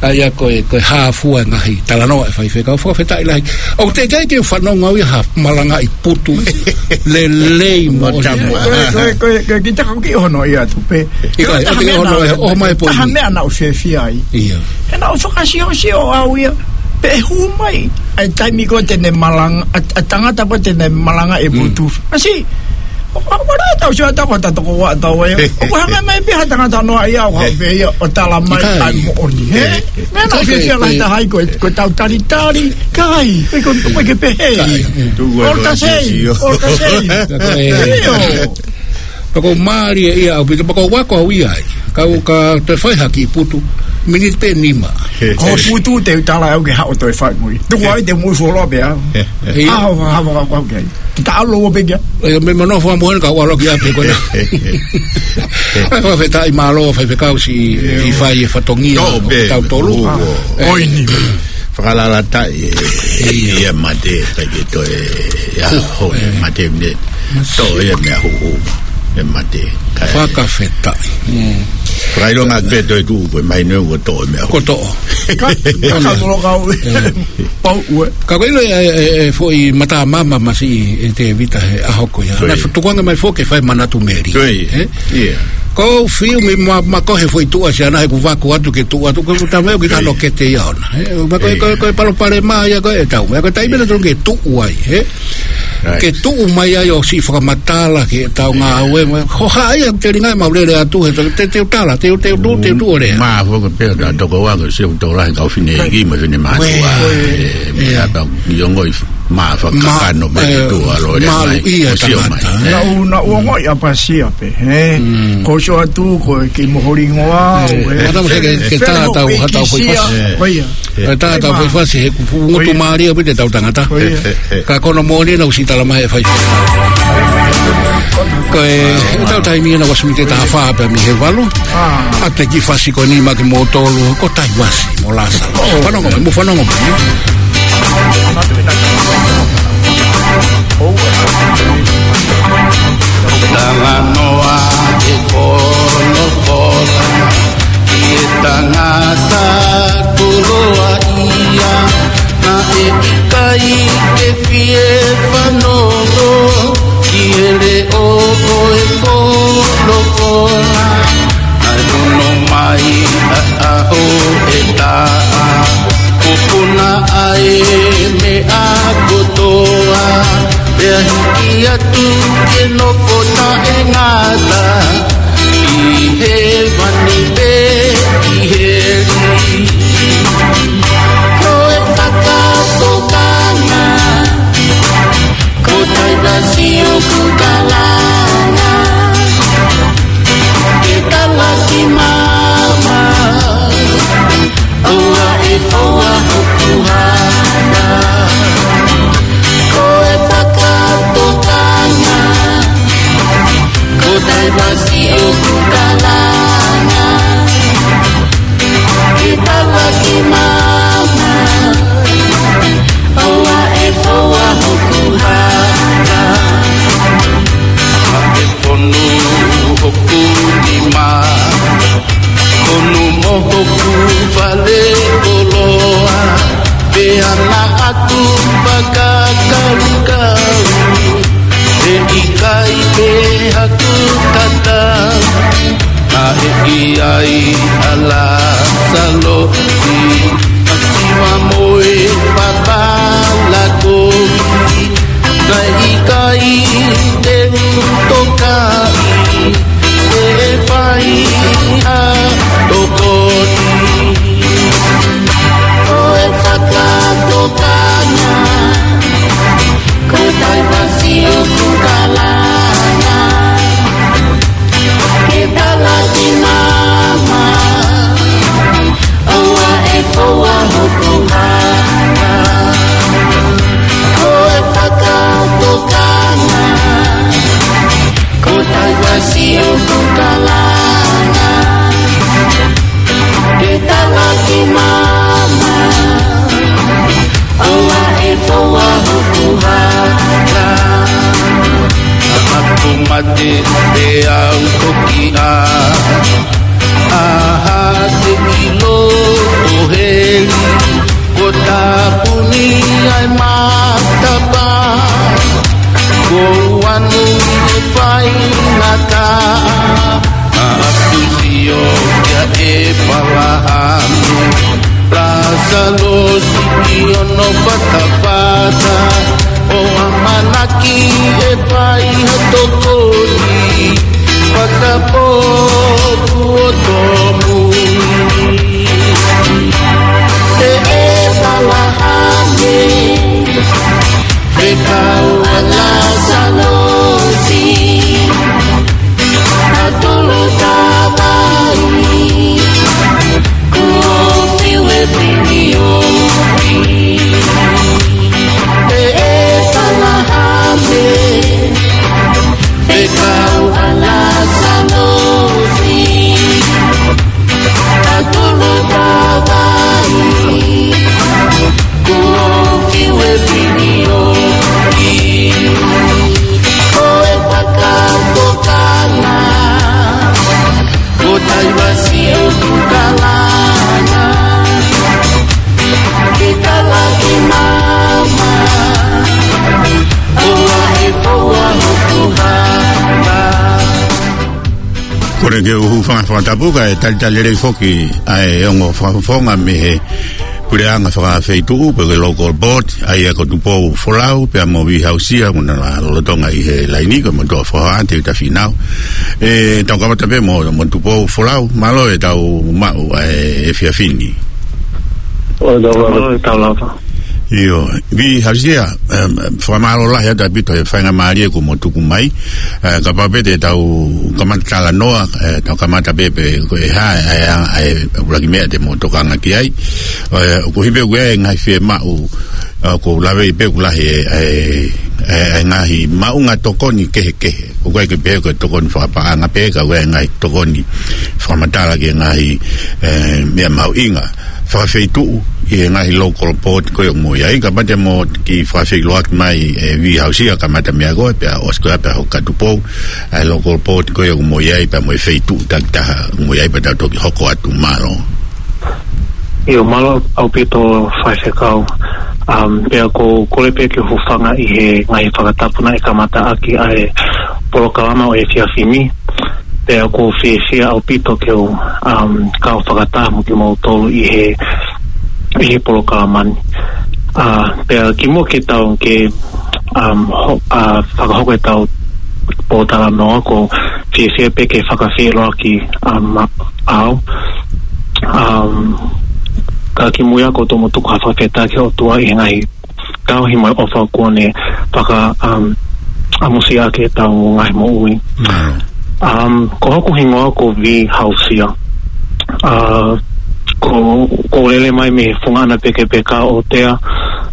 ʻA ia ko e, ko e hā fua e ngaahi talanoa ʻa e faifekau, fakafetaʻi lahi. ʻOku teʻeki ai ke u fanongo au ia ha malangaʻi putu lelei mo Mo tamu. Ko e, ko e, ko e, ko e, kiʻi taka kiʻi hono ia atu pē. ʻIkai, Ko e taha ʻoku meʻa hono naʻa, e, ʻo mai pō taha ni. meʻa naʻa ku fiefia ai. ʻIo. He naʻa ku fakasiosio au ia. Pea hū mai. ʻA e taimi ko ē te ne malanga, ʻa, ʻa e tangata ko ē te ne malangaʻi e Mm. putu. Masi, ʻOku ʻikai ke tau sio atu ko e toko ua tau ē. ʻOku hanga mai pē ha tangata noa ia ʻo haʻu pē ia ʻo tala mai ʻIkai. ʻa e moʻoni, hē? ʻIkai. Meʻa naʻe ʻIkai, fiefia lahi ʻikai. taha ai ko e, ko ʻetau talitali, ʻikai. Ko e, ko e, ko e ke pehē. ʻIkai. Tuku e All the same, sio. all the same. Ka ko e ʻIo. Pea ʻoku mālie ia ʻaupito, pea ʻoku ou ako au ia ai. Ka u ka toe fai ha kiʻi putu, miniti pē nima. Ko e putu te u tala au ke haʻu ʻo toe fai mo ia. Tuku ai te u mui foloa pē au. ʻIo. Haʻu, haʻu, haʻu, haʻu, haʻu, haʻu. Te ta alo ua pē kia. ʻIo, meʻa manofo mo heni ka u ʻalu ki ʻapi ko ena. ʻAi, fakafetaʻi, mālō faifekau siʻi fai e fatongia ʻo tautolu. ʻOi ni. Fakalalaʻi e, ʻio. ʻIa mate, ʻikai ke toe, ʻia, ʻo, e mate ne. Tō ia meʻa huhu. E mate. Fakafetaʻi. Fakaʻilonga pē toe tuʻu ko e mai ne ua tō e meʻa huhu. Ko tō. Ka, ka, ka, ka, ka, Pau ue. Ka ko e ʻilo e, e, e foʻi mata mama masi e Tēvita he ʻaho ko ia. Ko ia. Naʻe tukuange mai foki ke fai manatu meli. Ko ia. Ē? ʻIa. Ko fiu mi ma, ma ko he foʻi tuʻa siana he kuo vaku atu ke tuʻu atu. Ko e tamai ʻoku ʻikai ke tano kete ia ona. Ē? Ma ko e, ko e, ko e palopalema ia ko e tau. Meʻa ko e taimi naʻe tonu ke tuʻu ai. Ē? Right. Ke tuʻu mai ai ʻo siʻi fakamatala ke tau ngāue mai. Ko hai ia te ringa mau lele atu he te, te, te u tala, te u, te u, te u lea. Mā foki pē ta toko ua ko siʻi tō lahi kau fine ki mo fine mātuʻa. Ue. E, meʻa pau ʻi ongo i mā fakakano mai e tuʻa lo lea mai. Malu ia sio mai. Naʻu, naʻu ongoʻi ʻapasia pē, ē? Ko sio atu ko e kiʻi moholingoa, ē. Mata mo se ke, ke tā tau, ha tau foʻi fasi. Ko ia. Ko e tā tau foʻi fasi he kupu ngutu mālie pē te tau tangata. Ko ia. Ka ko hono moʻoni naʻa ku siʻi tala mai e fai. Ko e, ʻetau taimi ena ua simite taha fā pē mei he valu. ʻA e kiʻi fasi ko eni maʻa kimoutolu, ko Taivasi mo Lāsalo. Fanongo mai, mou fanongo mai. Talanoa e pono pola. Ki he tangata koloaʻia, naʻe ʻikai ke fie fanongo ki he leʻo ʻo e kolokola. Naʻe ʻunu mai ʻa, ʻa ʻo e taʻa, kuo puna ʻa e meʻa kotoa. Pea hiki atu ke nofo taʻengata ʻi hēvani pe ʻi heli. Ko e fakatokanga, ko Taivasi ʻoku kalanga, ke tala ki māmani. ʻOua ʻe foua hoku hana. Ko e fakatokanga, ko Taivasi ʻoku kalanga, ke tala ki māmani. ʻOua ʻe foua hoku hana. Fonu hoku nima, fonu mo hoku fale koloa, pea naʻa ku fakakaukau, he ʻikai pē haku tatau, naʻe ʻi ai ʻa Lāsalo ʻi ʻa Siva mo e papala kovi. Naʻe ʻikai te u tokaʻi, ʻe fai ha tokoni. Ko e fakatokanga, ko Taivasi ʻoku kalanga, ke tala ki māmani. ʻOua ʻe foua hoku hana. Ko e fakatokanga, ko Taivasi ʻoku kalanga, ke tala ki māmani. ʻOua ʻe foua hoku hana. Haʻaku mate pea u toki ʻā. ʻA ha te ʻilo ʻo heli, kuo tāpuni ai matapā. Kuo u ʻalu ʻi he faingataʻa, ʻa ʻaku sio kia ʻĒpalahame. Lāsalo siʻi ono fatafata, ʻo ʻamanaki ʻe fai ha tokoni. Kole ke u hūfanga he fakatapu kae talitali lelei foki ʻa e ongo fakafofonga mei he puleʻanga fakafeituʻu pe ko e local board, ʻa ia ko Tupou Folau pea mo Vihausia, mo na lolotonga ʻi he laini ko e motuʻa foha Teuta Fīnau. ʻE, tau kamata pē mo, mo Tupou Folau, mālō e tau maʻu ʻa e efiafi ni. ʻO tau lava. Mālō e tau lava. ʻIo, Vihausia, em, fakamālō lahi atu ʻaupito he faingamālie kuo mo tuku mai. Eh, kapau pē te tau kamata talanoa, eh, tau kamata pē pe ko e hā, eh, eh, eh, ʻuluaki meʻa te mo tokanga ki ai. Eh, ʻoku ʻi ai pē ʻoku ʻi ai e ngaahi fiemaʻu, eh, ʻoku ou lave pē ʻoku lahi e, eh, eh, eh, ngaahi maʻunga tokoni kehekehe. ʻOku ʻikai ke pehē ko e tokoni fakapaʻanga pē, ka ʻoku ʻi ai e ngaahi tokoni fakamatala ki he ngaahi, eh, meʻa mahuʻinga fakafeituʻu ʻi he ngaahi local board ko ia ʻoku mo ʻi ai. Kapau te mo kiʻi fakafeʻiloaki mai, eh, Vihausia, kamata meia koe, pea ʻosi ko ia pea hoko kia Tupou, ʻa e local board ko ia ʻoku mo ʻi ai, pea mo e feituʻu takitaha ʻoku mo ʻi ai, pea tau toki hoko atu, mālō. ʻIo, mālō ʻaupito faifekau. Um, pea ʻoku ou kole pē ke u hūfanga ʻi he ngaahi fakatapu naʻe kamataʻaki ʻa e polokalama ʻo e efiafi ni. Pea ʻoku ou fiefia ʻaupito ke u, um, kau fakataha mo kimoutolu ʻi he, ʻi he polokalama ni. Uh, pea kimuʻa ke tau ke, um, ho-, uh, fakahoko ʻetau pōtalanoa, ʻoku ou fiefia pē ke fakafeʻiloaki, um, au. Um, ka kimuʻa ʻoku ou tomuʻa tuku ha fakafetaʻi ki he ʻOtua ʻi he ngaahi tauhi mo e ʻofa kuo ne faka, um, ʻamusiaʻaki ʻetau ngaahi moʻui. Mālō. Um, ko hoku hingoa ko Vihausia. Uh, ʻoku, ʻoku ou lele mai mei he funga ʻana pekepeka ʻo Tea,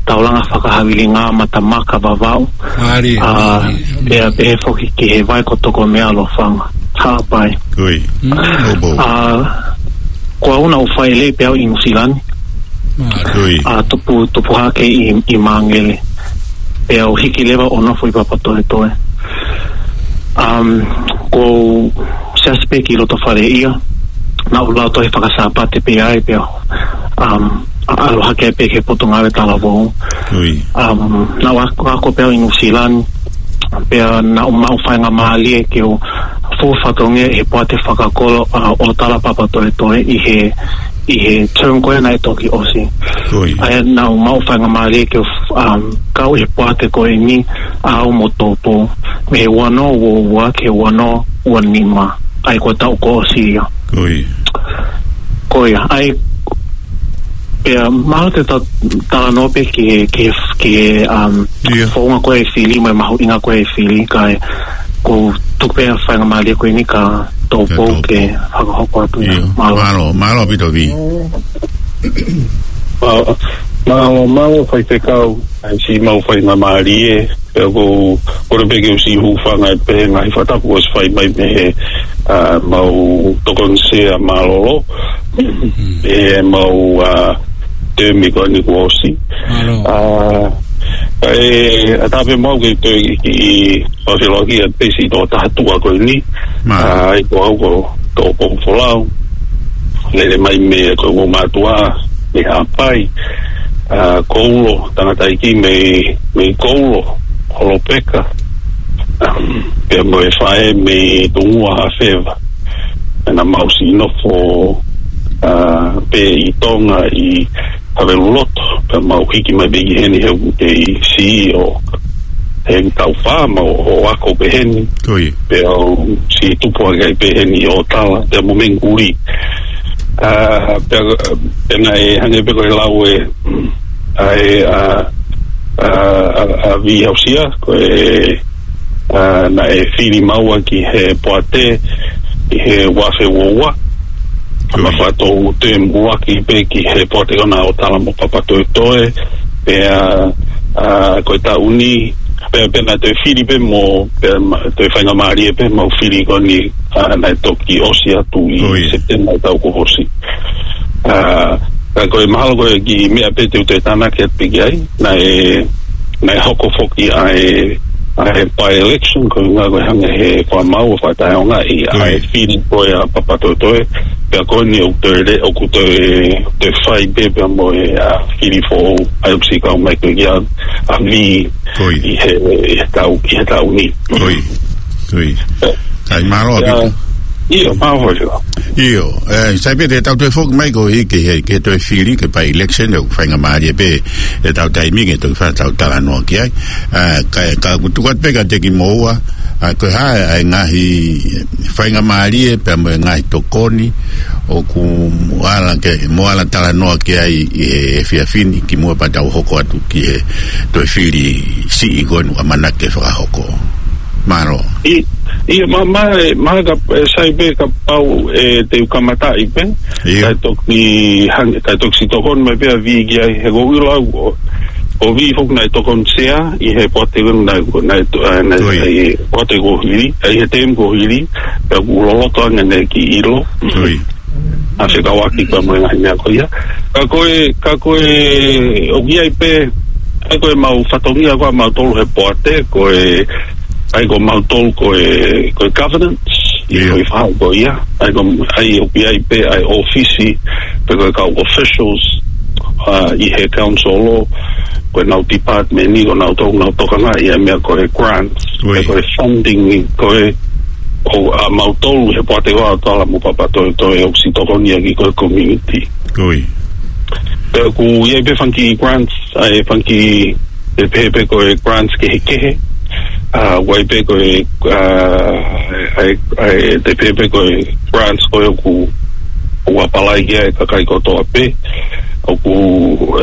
taulanga fakahavilinga, mata maka, Vavaʻu. Mālie, uh, mālie. Pea pehē foki ki he vai ko Tokomea, Lofanga. Haʻapai. Ui. Mm, ʻo pō. Uh, ko au naʻá ku fai lelei pē au ʻi Nuʻusila ni. Mālie. Ui. Uh, tupu, tupu hake ʻi, ʻi Māngere. Pea u hiki leva ʻo nofo ʻi Papatoetoe. Um, ʻoku ou siasi pē ki loto fale ia. Naʻá ku lau tohi faka-Sāpate pē ai pea, um, ʻa-, ʻalu hake pē ki he Potungāue Talavou. Ui. Um, naʻá ku ako, ako pē au ʻi Nuʻusila ni. Pea naʻá ku maʻu faingamālie ke u fuʻu fatongia ʻi he poate fakakolo, uh, ʻo Tala Papatoetoe ʻi he, ʻi he term ko ē naʻe toki ʻosi. Ui. ʻA ia naʻá ku maʻu faingamālie ke u, um, kau ʻi he poate ko eni ʻa au mo Tupou. Mei he ua noa ua ua ki he ua noa ua nima. ʻA ia ko e taʻu kuo ʻosi ia. Ui. Ko ia, ʻa ia, pea, mahalo te ta-, talanoa pē ki he, ki he, ki he, um, ʻIo. Founga ko ē e fili, mo e mahuʻinga ko ē e fili, kae ʻoku ou tuku pē ʻa e faingamālie ko eni kia Tupou Kia Tupou. Ke fakahoko atu ia. ʻIo. Mālō. Mālō, mālō ʻaupito Vi. Mālō, mālō, mālō faifekau, ʻa e siʻi maʻu faingamālie, pea ʻoku ou kole pē ke u siʻi hūfanga atu pē he ngaahi fakatapu kuo ʻosi fai mai mei he, ʻa, mau tokoni sea mālōlō, ʻi he mau, ʻa, temi ko eni kuo ʻosi. Mālō. ʻA, ʻe, ʻatā pē mau ke toe kiʻi, kiʻi fakafiloaki atu pē siʻi tokotaha tuʻa ko eni. Mālō. ʻA, ʻa ia ko au ko Tupou Folau. Lele mai mei he ko e ongo mātuʻa, mei Haʻapai. ʻA, Koulo, tangataʻeiki mei, mei Koulo, Holopeka. Pea mo e faʻē mei Tungua, Hafeva. Naʻa mau siʻi nofo, ʻa, pē ʻi Tonga ʻi Haveluloto, pea mau hiki mai pē ki heni he ʻoku kei siʻi ʻo, he taʻu fā mau ō ako pē heni. Ko ia. Pea u siʻi tupu hake ai pē heni ʻo Tala, pea mo Menguli. ʻA, pea, pea naʻe hangē pē ko e lau ē, ʻa e, ʻa, ʻa, ʻa, ʻa Vihausia, ko e, ʻa, naʻe fili maua ki he poate, ʻi he ua afe ua ua. Ko ia. Pea fakatou toe muʻaki pē ki he poate ko ena ʻo Tala mo Papatoetoe, pea, ʻa, ko e taʻu ni, pea, pea naʻe toe fili pē mo, pea ma-, toe faingamālie pē mau fili ko eni, ʻa, naʻe toki ʻosi atu ʻi Ko ia. Sepitema ʻo e taʻu kuo ʻosi. ʻA, ka ko e mahalo ko e kiʻi meʻa pē te u toe tānaki atu pē ki ai, naʻe, naʻe hoko foki ʻa e, ʻa e by-election, ko e ʻuhinga ko e hangē he ko ʻemau fakataʻeʻaongaʻi ʻa e Ko ia. fili ko ē ʻa Papatoetoe, pea ko eni ʻoku toe le-, ʻoku toe, toe fai pē pea mo e, ʻa, fili foʻou, ʻa ia ʻoku siʻi kau mai ko ē kia, ʻa Vi Ko ia. ʻi he, ʻi he taʻu, ʻi he taʻu ni. Ko ia. Ko ia. Kae mālō ʻaupito. ʻIo, mālō. ʻIo, ē, sai pē te tau toe foki mai ko ē ki he, ki he toe fili, ki he by-election, ʻoku faingamālie pē ʻetau taimi ke toe fai ʻetau talanoa ki ai. Ē, ka, ka ʻoku tuku atu pē kiate kimoua, ē, ko e hā ʻa e ngaahi faingamālie pea mo e ngaahi tokoni ʻoku mou ala ke, mou ala talanoa ki ai ʻi he efiafi ni kimuʻa pea tau hoko atu ki he toe fili siʻi ko eni ʻoku ʻamanaki ke fakahoko. Mālō. ʻI, ʻio, mā, mā, mā ka, ē, sai pē kapau, ē, te u kamataʻi pē. ʻIo. Kae toki hang-, kae toki siʻi tokoni mai pē ʻa Vī ki ai he ʻoku ou ʻilo au ʻo, ʻo Vī foki naʻe tokoni sea ʻi he poate naʻe, naʻe to-, ē, naʻe, ʻOi. ʻi he poate kuo hili, ē, ʻi he tēmi kuo hili, pea ʻoku loloto ange ʻene kiʻi ʻilo. ʻOi. ʻA fekauʻaki pea mo e ngaahi meʻa ko ia. Ka ko e, ka ko e, ʻoku ʻi ai pē, ʻa ia ko e mau fatongia ko ē ʻa mautolu he poate, ko e, ʻa ia ko mautolu ko e, ko e governance, ʻi he ʻIo. foʻi faʻahi ko ia, ʻa ia ko, ʻa ia ʻoku ʻi ai pē, ʻa e ʻōfisi, pe ko e kau officials, ā, ʻi he council ʻo, ko ʻenau department ni, ko ʻenau tau, nau tokangaʻi ʻa e meʻa ko e grants, ʻOi. pe ko e funding ni, ko e, ʻo, ʻa mautolu he poate ʻo ʻAotearoa mo Papatoetoe ʻoku siʻi tokoni ʻaki ko e community. ʻOi. Pea ʻoku ʻi ai pē fanga kiʻi grants, ʻa e fanga kiʻi, te pehē pē ko e grants kehekehe, ā, ʻoku ʻi ai pē ko e, ā, ʻa e, ʻa e, te pehē pē ko e grants ko ē ʻoku, ʻoku apply ki ai e kakai kotoa pē, ʻoku,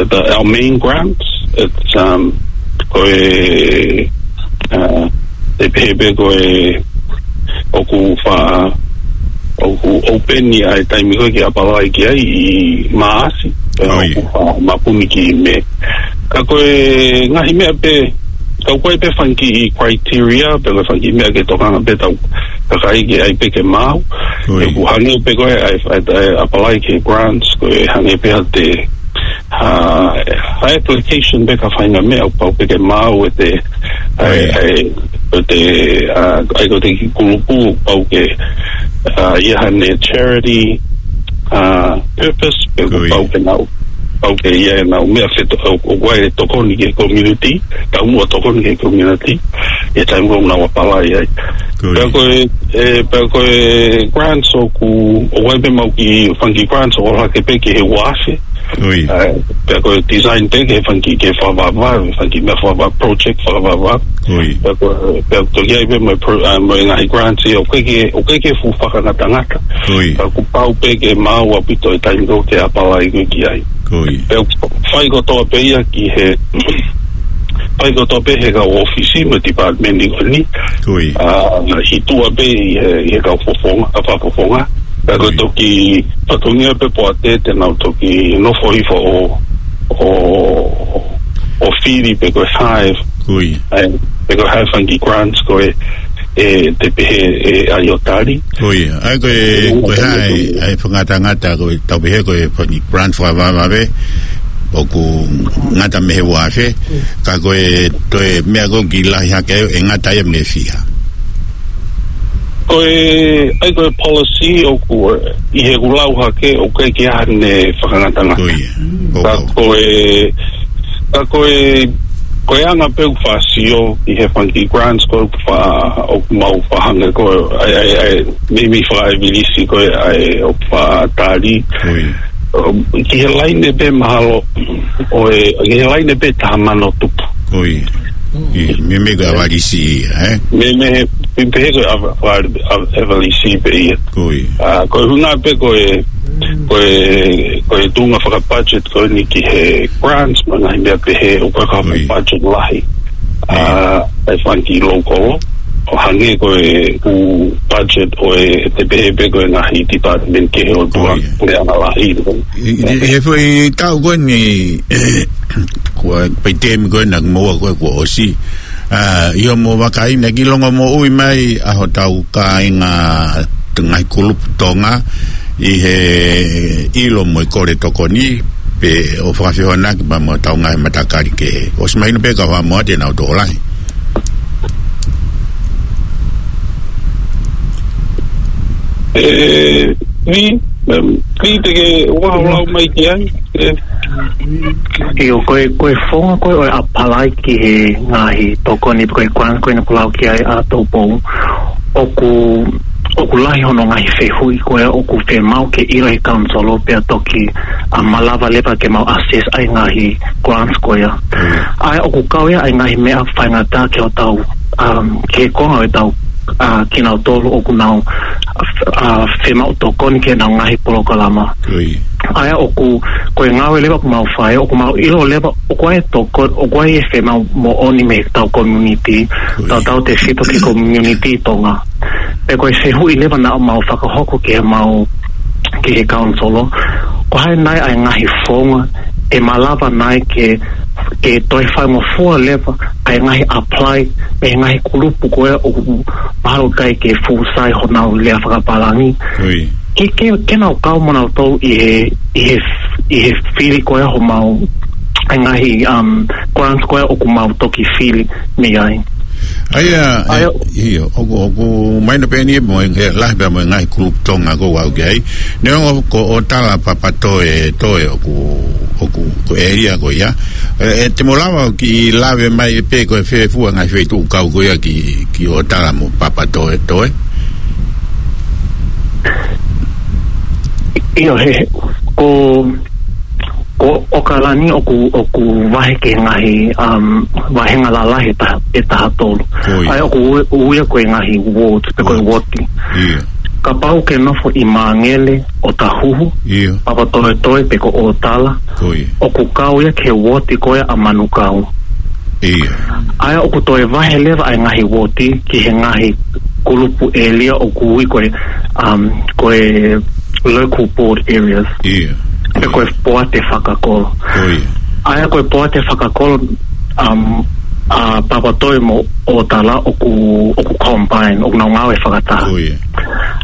the, our main grants, it's, um, ko e, ā, te pehē pē ko e ʻoku fa-, ʻoku open ʻi he taimi ko ē ke apply ki ai ʻi Maʻasi. ʻOi. ʻOku fa-, mapuni ki Mē. Ka ko e ngaahi meʻa pē, ka ʻoku ʻi ai pē fanga kiʻi criteria, pe ko e fanga kiʻi meʻa ke tokanga pē ʻetau kakai ke ʻai pē ke maau. ʻOi. ʻOku hangē pē ko e ʻai, ʻai, ʻai apply ki he grants, ko e hangē pē ha te, ha, ha application pē ka fai ha meʻa ʻoku pau pē ke maau ʻe te, ʻai, ʻOi. ʻai, ʻe te, ā, ʻa ia ko e kiʻi kulupu ʻoku pau ke, ā, ʻi ai haʻane charity, ā, purpose, pe ʻoku ʻOi. pau ke nau, pau ke ʻi ai ʻenau meʻa feto-, ʻo, ʻoku ʻi ai e tokoni ki he community, taumuʻa tokoni ki he community, ʻi he taimi ʻoku nau apply ai. ʻOi. Pea ko e, ē, pea ko e grants ʻoku, ʻoku ʻi ai pē mau kiʻi fanga kiʻi grants ʻoku ʻalu hake pē ki he ua afe, ʻOi. Ā, pea ko e design pē ki he fanga kiʻi, ki he fakavavevave, fanga kiʻi meʻa fakavavevave, project fakavavevave. ʻOi. Pea ko, pea toki ʻi ai pē mo e pro-, ā, mo e ngaahi grants ʻoku ʻikai ke, ʻoku ʻikai ke fuʻu fakangatangata. ʻOi. Pea ʻoku pau pē ke maau ʻaupito e taimi ʻoku ke apply ko ē ki ai. ʻOi. Pea ʻoku fai kotoa pē ia ki he, fai kotoa pē he kau ʻōfisi mo e department ni ko eni. ʻOi. Ā, ʻi tuʻa pē ʻi he, ʻi he kau fofonga, ʻa e kau fofonga. Pea ko e ʻOi. toki fatongia pē poate te nau toki nofo hifo ʻo, ʻo, ʻo fili pe ko e hire. ʻOi. ʻAi, pe ko e hire fanga kiʻi grants ko ē, ē, te pehē ʻe ʻAio Tali. ʻOi, ʻa ia ko e, ʻOi, ko e ʻai, ʻai fakangatangata ko e tau pehē ko e fanga kiʻi grants fakavavevave, ʻoku ngata mei he ua afe, ka ko e toe meʻa ko ē ʻoku kiʻi lahi hake ʻe ngata ia mei he fiha. Ko e, ʻa ia ko e policy ʻoku, ʻi heʻeku lau hake, ʻoku ʻikai ke ʻi ai haʻane fakangatangata. ʻOi, ʻo, Ka ʻo. ko e, ka ko e, ko e anga pē ʻoku faʻa sio, ʻi he fanga kiʻi grants ko ē ʻoku faʻa, ʻoku mau faʻa hangē ko ē, ʻai, ʻai, ʻai, meimei fakaʻevilisi ko ē, ʻai, ʻoku faʻa tali. ʻOi. Um, ki he laine pē mahalo, ʻo e, ki he laine pē taha mano tupu. ʻOi. ʻI, meimei ko e ʻavalisi ia, ē? Meimei, meimei pehē ko e ava-, ava-, ava-, ʻavalisi pē ia. ʻOi. Ā, ko e ʻuhinga pē ko e, ko e, ko e tuʻunga fakabudget ko eni ki he grants, mo e ngaahi meʻa pehē, ʻoku ʻikai ko ha ʻOi. budget lahi. Ā, ʻOi. ʻa e fanga kiʻi local, ʻo hangē ko e ʻū budget ʻo e te pehē pē ko e ngaahi department kehe ʻo tuʻa, ʻOi. ʻo e anga lahi. ʻI, ʻi, ʻi he foʻi taʻu ko eni, ko e pē tēmi ko ena kimoua ko ē kuo ʻosi. Ā, ʻi hoʻomou vakai naʻe kiʻi longomoʻui mai ʻa hotau kāinga ngaahi kulupu Tonga ʻi he ʻilo mo e kole tokoni, pe ʻo fakafehoanaki pea mo hotau ngaahi matakali kehe. ʻOsi mahino pē ka ʻoku hā mo ʻa e te nau tokolahi. Ē, Vī, em, Vī te ke ʻoua ʻo lau mai ki ai. Ē. ʻIo, ko e, ko e founga ko ē ʻo e apply ki he ngaahi tokoni pe ko e grant ko ē naʻa ku lau ki ai ʻa Tupou. ʻOku, ʻoku ʻoku lahi hono ngaahi fehuʻi ko ia ʻoku fiemaʻu ke ʻilo ʻe he council pea toki, ʻa, malava leva ke mau assess ʻa e ngaahi grants ko ia. ʻA ia ʻoku kau ia ʻa e ngaahi meʻa faingataʻa ki hotau, um, ki he konga ʻo ʻetau, ʻa, kinautolu ʻoku nau, ʻa, fiemaʻu tokoni ki heʻenau ngaahi polokalama. ʻA ia ʻoku, ko e ngāue leva ʻoku mau fai, ʻoku mau ʻilo leva ʻoku ʻi ai e toko, ʻoku ʻi ai e fiemaʻu moʻoni mei heʻetau community, tautautefito ki he community Tonga. Pea ko e fehuʻi leva naʻa mau fakahoko ki heʻemau, ki he council, ko e hā nai ʻa e ngaahi founga ʻe malava nai ke, ke toe faingofua leva ʻa e ngaahi apply mei he ngaahi kulupu ko ia ʻoku mahalo ʻikai ke fuʻu sai honau lea fakapālangi. Ke, ke, ke nau kau mo nautolu ʻi he, ʻi he, ʻi he fili ko ia homau, ʻa e ngaahi, um, grants ko ia ʻoku mau toki fili mei ai. ʻA ia, ʻa ia, ʻio, ʻoku, ʻoku mahino pē eni mo e, he lahi pē mo e ngaahi kulupu Tonga ʻoku aʻu ki ai. Neongo ko ʻOtala Papatoetoe ʻoku, ʻoku, ko e ʻēlia ko ia. ʻE, ʻe te mou lava ʻo kiʻi lave mai pē ko e fē fua ngaahi feituʻu kau ko ia ki, ki ʻOtala mo Papatoetoe. ʻIo, he, ko, ko ʻOkalani ʻoku, ʻoku vahe ki he ngaahi, um, vāhenga lalahi ʻe taha, ʻe taha tolu. ʻA ia ʻoku ui, ui ia ko e ngaahi wards, pe ko e woti. Kapau ke nofo ʻi Māngele, ʻOtahuhu, Papatoetoe pe ko ʻOtala, ʻoku kau ia ki he woti ko ia ʻa Manukau. ʻA ia ʻoku toe vahe leva ʻa e ngaahi woti ki he ngaahi kulupu ʻēlia ʻoku ui ko e, um, ko e local board areas. Pe ko e poate fakakolo. ʻA ia ko e poate fakakolo, um, ʻa Papatoetoe mo ʻOtala ʻoku, ʻoku combine, ʻoku nau ngāue fakataha.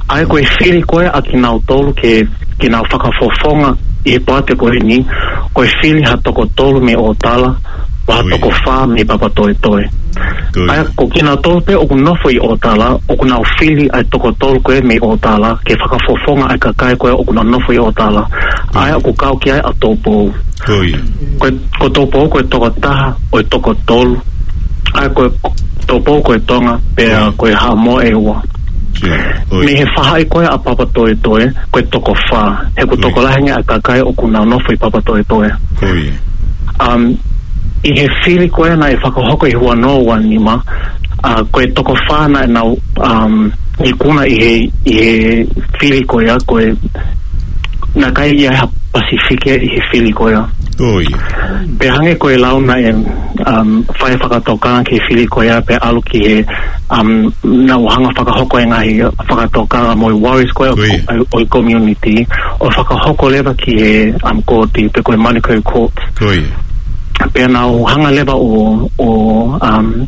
ʻA ia ko e fili ko ia ʻa kinautolu ke, ke nau fakafofonga ʻi he poate ko eni, ko e fili ha toko tolu mei ʻOtala, mo ha toko fā mei Papatoetoe. ʻA ia ko kinautolu pē ʻoku nofo ʻi ʻOtala, ʻoku nau fili ʻa e toko tolu ko ia mei ʻOtala, ke fakafofonga ʻa e kakai ko ia ʻoku nau nofo ʻi ʻOtala. ʻA ia ʻoku kau ki ai ʻa Tupou. Ko e, ko Tupou ko e toko taha ʻo e toko tolu. ʻA ia ko Tupou ko e Tonga, pea ko e Haʻamoa ʻe ua. Mei he faʻahi ko ia ʻa Papatoetoe, ko e toko fā. He ʻoku tokolahi ange ʻa e kakai ʻoku nau nofo ʻi Papatoetoe. Um, ʻi he fili ko ia naʻe fakahoko ʻi he ua noa ua nima, ʻa, ko e toko fā naʻa nau, um, ikuna ʻi he, ʻi he fili ko ia, ko e naʻe ʻikai ʻi ai ha Pasifiki ʻi he fili ko ia. Pea hangē ko e lau naʻe, um, fai fakatokanga ki he fili ko ia pea ʻalu ki he, um, naʻa nau hanga fakahoko e ngaahi fakatokanga mo e worries ko ia ʻo e community, ʻo fakahoko leva ki he, um, kooti pe ko e Manukau Court. Pea nau hanga leva ʻo, ʻo, um,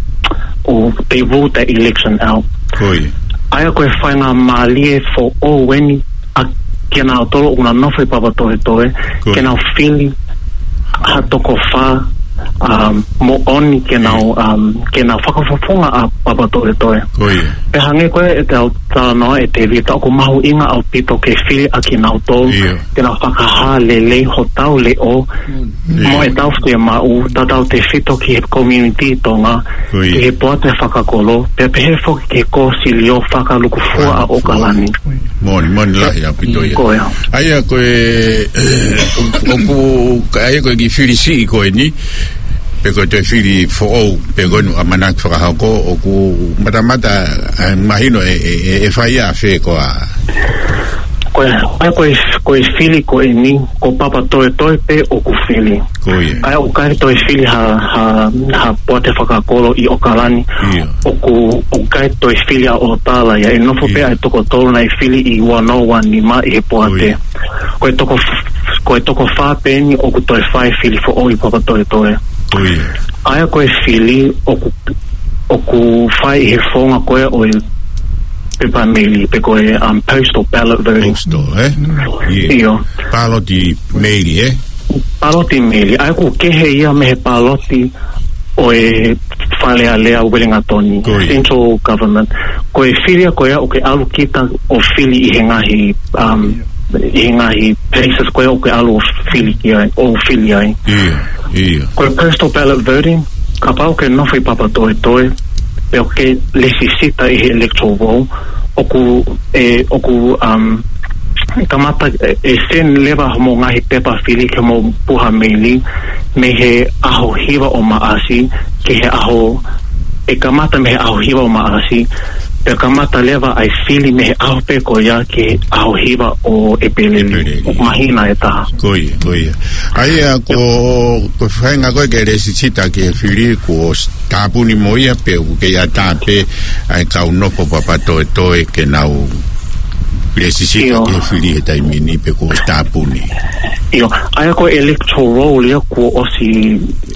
ʻo they ruled that election out. ʻA ia ko e faingamālie foʻou eni ʻa kinautolu ʻoku nau nofo ʻi Papatoetoe, ke nau fili ha toko fā, um, moʻoni ke nau, um, ke nau fakafofonga ʻa Papatoetoe. Pea hangē ko ia ʻetau talanoa ʻe Tēvita, ʻoku mahuʻinga ʻaupito ke fili ʻa kinautolu, ke nau fakahā lelei hotau leʻo, mo ʻetau fiemaʻu, tautautefito ki he community Tonga, ki he poate fakakolo, pea pehē foki ki he kōsilio fakalukufua ʻa ʻOkalani. Moʻoni, moʻoni lahi ʻaupito ia. ʻA ia ko e, ʻoku, ʻa ia ko e kiʻi fili siʻi ko eni, pe ko e toe fili foʻou, pe ko eni ʻamanaki fakahoko, ʻoku matamata, ʻa, mahino ʻe, ʻe, ʻe, ʻe fai ʻafē koā? Ko e, ʻa ia ko e, ko e fili ko eni, ko Papatoetoe pē ʻoku fili. ʻA ia ʻoku ʻikai toe fili ha, ha, ha poate fakakolo ʻi ʻOkalani. ʻOku, ʻoku ʻikai toe fili ʻa ʻOtala ia, ʻe nofo pē ʻa e toko tolu naʻe fili ʻi ua noa ua nima ʻi he poate. Ko e toko f-, ko e toko fā pē eni ʻoku toe fai fili foʻou ʻi Papatoetoe. ʻA ia ko e fili ʻoku, ʻoku fai ʻi he founga ko ia ʻo e pepa meili, pe ko e, um, postal ballot voting. Postal, ē? ʻIo. Pāloti meili, ē? Pāloti meili. ʻA ia ʻoku kehe ia mei he pāloti ʻo e Fale Alea Uelingatoni, central government. Ko e fili ia ko ia ʻoku ke ʻalu kita ʻo fili ʻi he ngaahi, um, ʻi he ngaahi places ko ia ʻoku ke ʻalu ʻo fili ki ai, ʻo fili ai. Ko e postal ballot voting, kapau ʻoku ke nofo ʻi Papatoetoe, pea ʻoku ke lēsisita ʻi he electoral roll, ʻoku, ʻe, ʻoku, um, kamata, ʻe, ʻe send leva hoʻomou ngaahi pepa fili ki hoʻomou puha meili mei he ʻaho hiva ʻo Maʻasi ki he ʻaho, ʻe kamata mei he ʻaho hiva ʻo Maʻasi, pea kamata leva ʻa e fili mei he ʻaho pē ko ia ki he ʻaho hiva ʻo ʻEpeleli. ʻEpeleli. ʻOku māhina ʻe taha. Ko ia, ko ia. ʻA ia, ko, ko e faʻahinga ko ē ke lēsisita ki he fili, kuo s-, tāpuni mo ia pe ʻoku kei ʻatā pē ʻa e kau nofo papatoetoe ke nau lēsisita ʻIo. ki he fili he taimi ni pe kuo tāpuni? ʻIo, ʻa ia ko e electoral ia kuo ʻosi,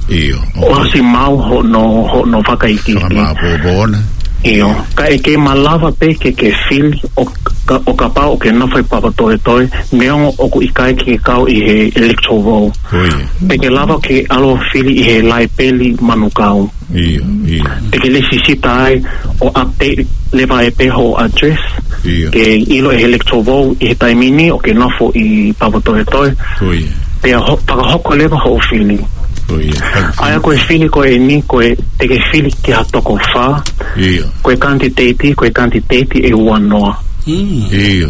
ʻIo, ʻoku ʻosi maʻu hono, hono fakaikiiki. Fakamāʻopoʻopo ʻona. ʻIo, ka ʻe kei malava pē ke, ke fili ʻo ka, ʻo kapau ʻoku ke nofo ʻi papatoetoe, neongo ʻoku ʻikai ke ke kau ʻi he electoral. Ko ia. Te ke lava ke ʻalu ʻo fili ʻi he Laepeli Manukau. ʻIo, ʻio. Te ke lēsisita ai ʻo update leva ʻe pē hoʻo address. ʻIo. Ke ʻilo ʻe he electoral ʻi he taimi ni ʻoku ke nofo ʻi papatoetoe. Ko ia. Pea ho-, fakahoko leva hoʻo fili. Ko ia. ʻA ia ko e fili ko eni, ko e te ke fili ki ha toko fā. ʻIo. Ko e kanititeiti, ko e kanititeiti ʻe ua noa. Mm. ʻIo.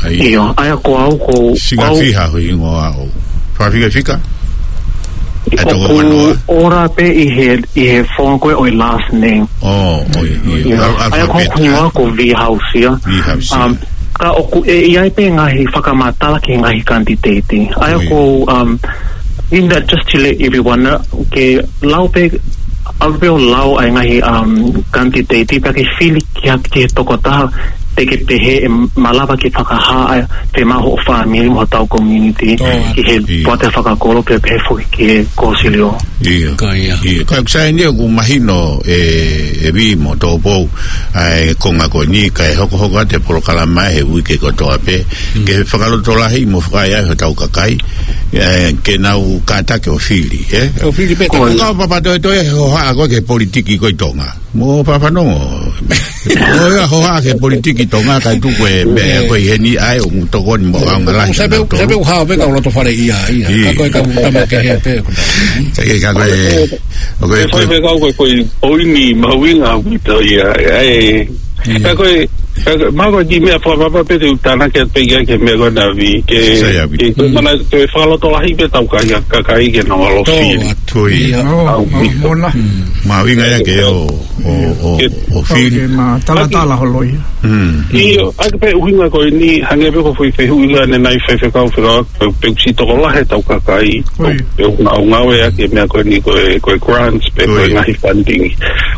ʻA ia. ʻIo, ʻa ia ko au, ko, Singa ko au fiha ho hingoa ʻo. Fakafikafika? ʻA e toko ua noa. ʻOku ora pē ʻi he, ʻi he founga ko ē ʻo e last name. ʻO, ʻo, ʻio, ʻio. ʻIo. Al-, ʻA ia ko alphabet, hoku hingoa ʻa? Ko Vihausia. Vihausia. Um, ka ʻoku ʻi ai pē ngaahi fakamatala ki he ngaahi kanititeiti. ʻA ia ʻIo. ko, um, in that, just to let everyone know, ke lau pē, ʻalu pē ʻo lau ʻa e ngaahi, um, kanititeiti, pea ke fili ki ha, ki he tokotaha, te ke pehē ʻe malava ke fakahā ʻa e fiemaʻu hoʻo fāmili mo hotau community, ʻO, ki he ʻio. poate fakakolo, pea pehē foki ki he kōsilio. ʻIo. Ko ia. ʻIo. Ka ʻoku sai eni ʻoku mahino ʻe, ʻe Vī mo Tōpou, ʻa e konga ko eni, kae hokohoko atu e polokalama he uike kotoa pē, Mm. ke fakalotolahi mo fakaʻaiʻai hotau kakai, ʻe, ke nau kātaki ʻo fili, ē? ʻO fili pē Ko e tau. Ka papatoetoe he hohaʻa ko ē ki he politiki ko ē ʻi Tonga. Mo fafanongo. ʻO ia hohaʻa ki he politiki Tonga kae tuku e meʻa ko ē ʻi heni ʻa e ʻoku tokoni mo ʻaonga lahi ʻOku sai pē, ʻanautolu. Sai pē ʻoku hao pē kau loto fale ia, ia. ʻIo. Ka ko e kau tama kehe pē. Sai ke ka ko e, ʻo ko e, Ko e ko e fai pē kau ko e, ko e poini mahuʻinga ʻaupito ia, ʻa e. ʻIo. Ka ko e, ka ko e, mahalo ko e kiʻi meʻa fakapapa pē te u tānaki atu pē ia ki he meʻa ko ena Vī, ke, Sai ʻaupito. ke, ke Mm. mana, ke fakalotolahi pē tau kai, kakai ke nau ʻalu ʻo Tō fili. atu. Ko ia. Ia. ʻAupito. ʻO, ʻo, mona. Mm. Mahuʻinga ia ke ʻo, ʻo, ʻo, Ke ʻo fili. ʻOkei, ma talatala holo ia. Mm. ʻIo, ʻa ia ko e ʻuhinga ko eni, hangē pē ko e foʻi fehuʻi ko ena naʻe fai ʻe he kau fekau, pe, pe ʻoku siʻi tokolahi ʻetau kakai, Oi. pe ʻoku nau ngāueʻaki e meʻa ko eni ko e, ko e grants, pe ko e Oi. ngaahi funding.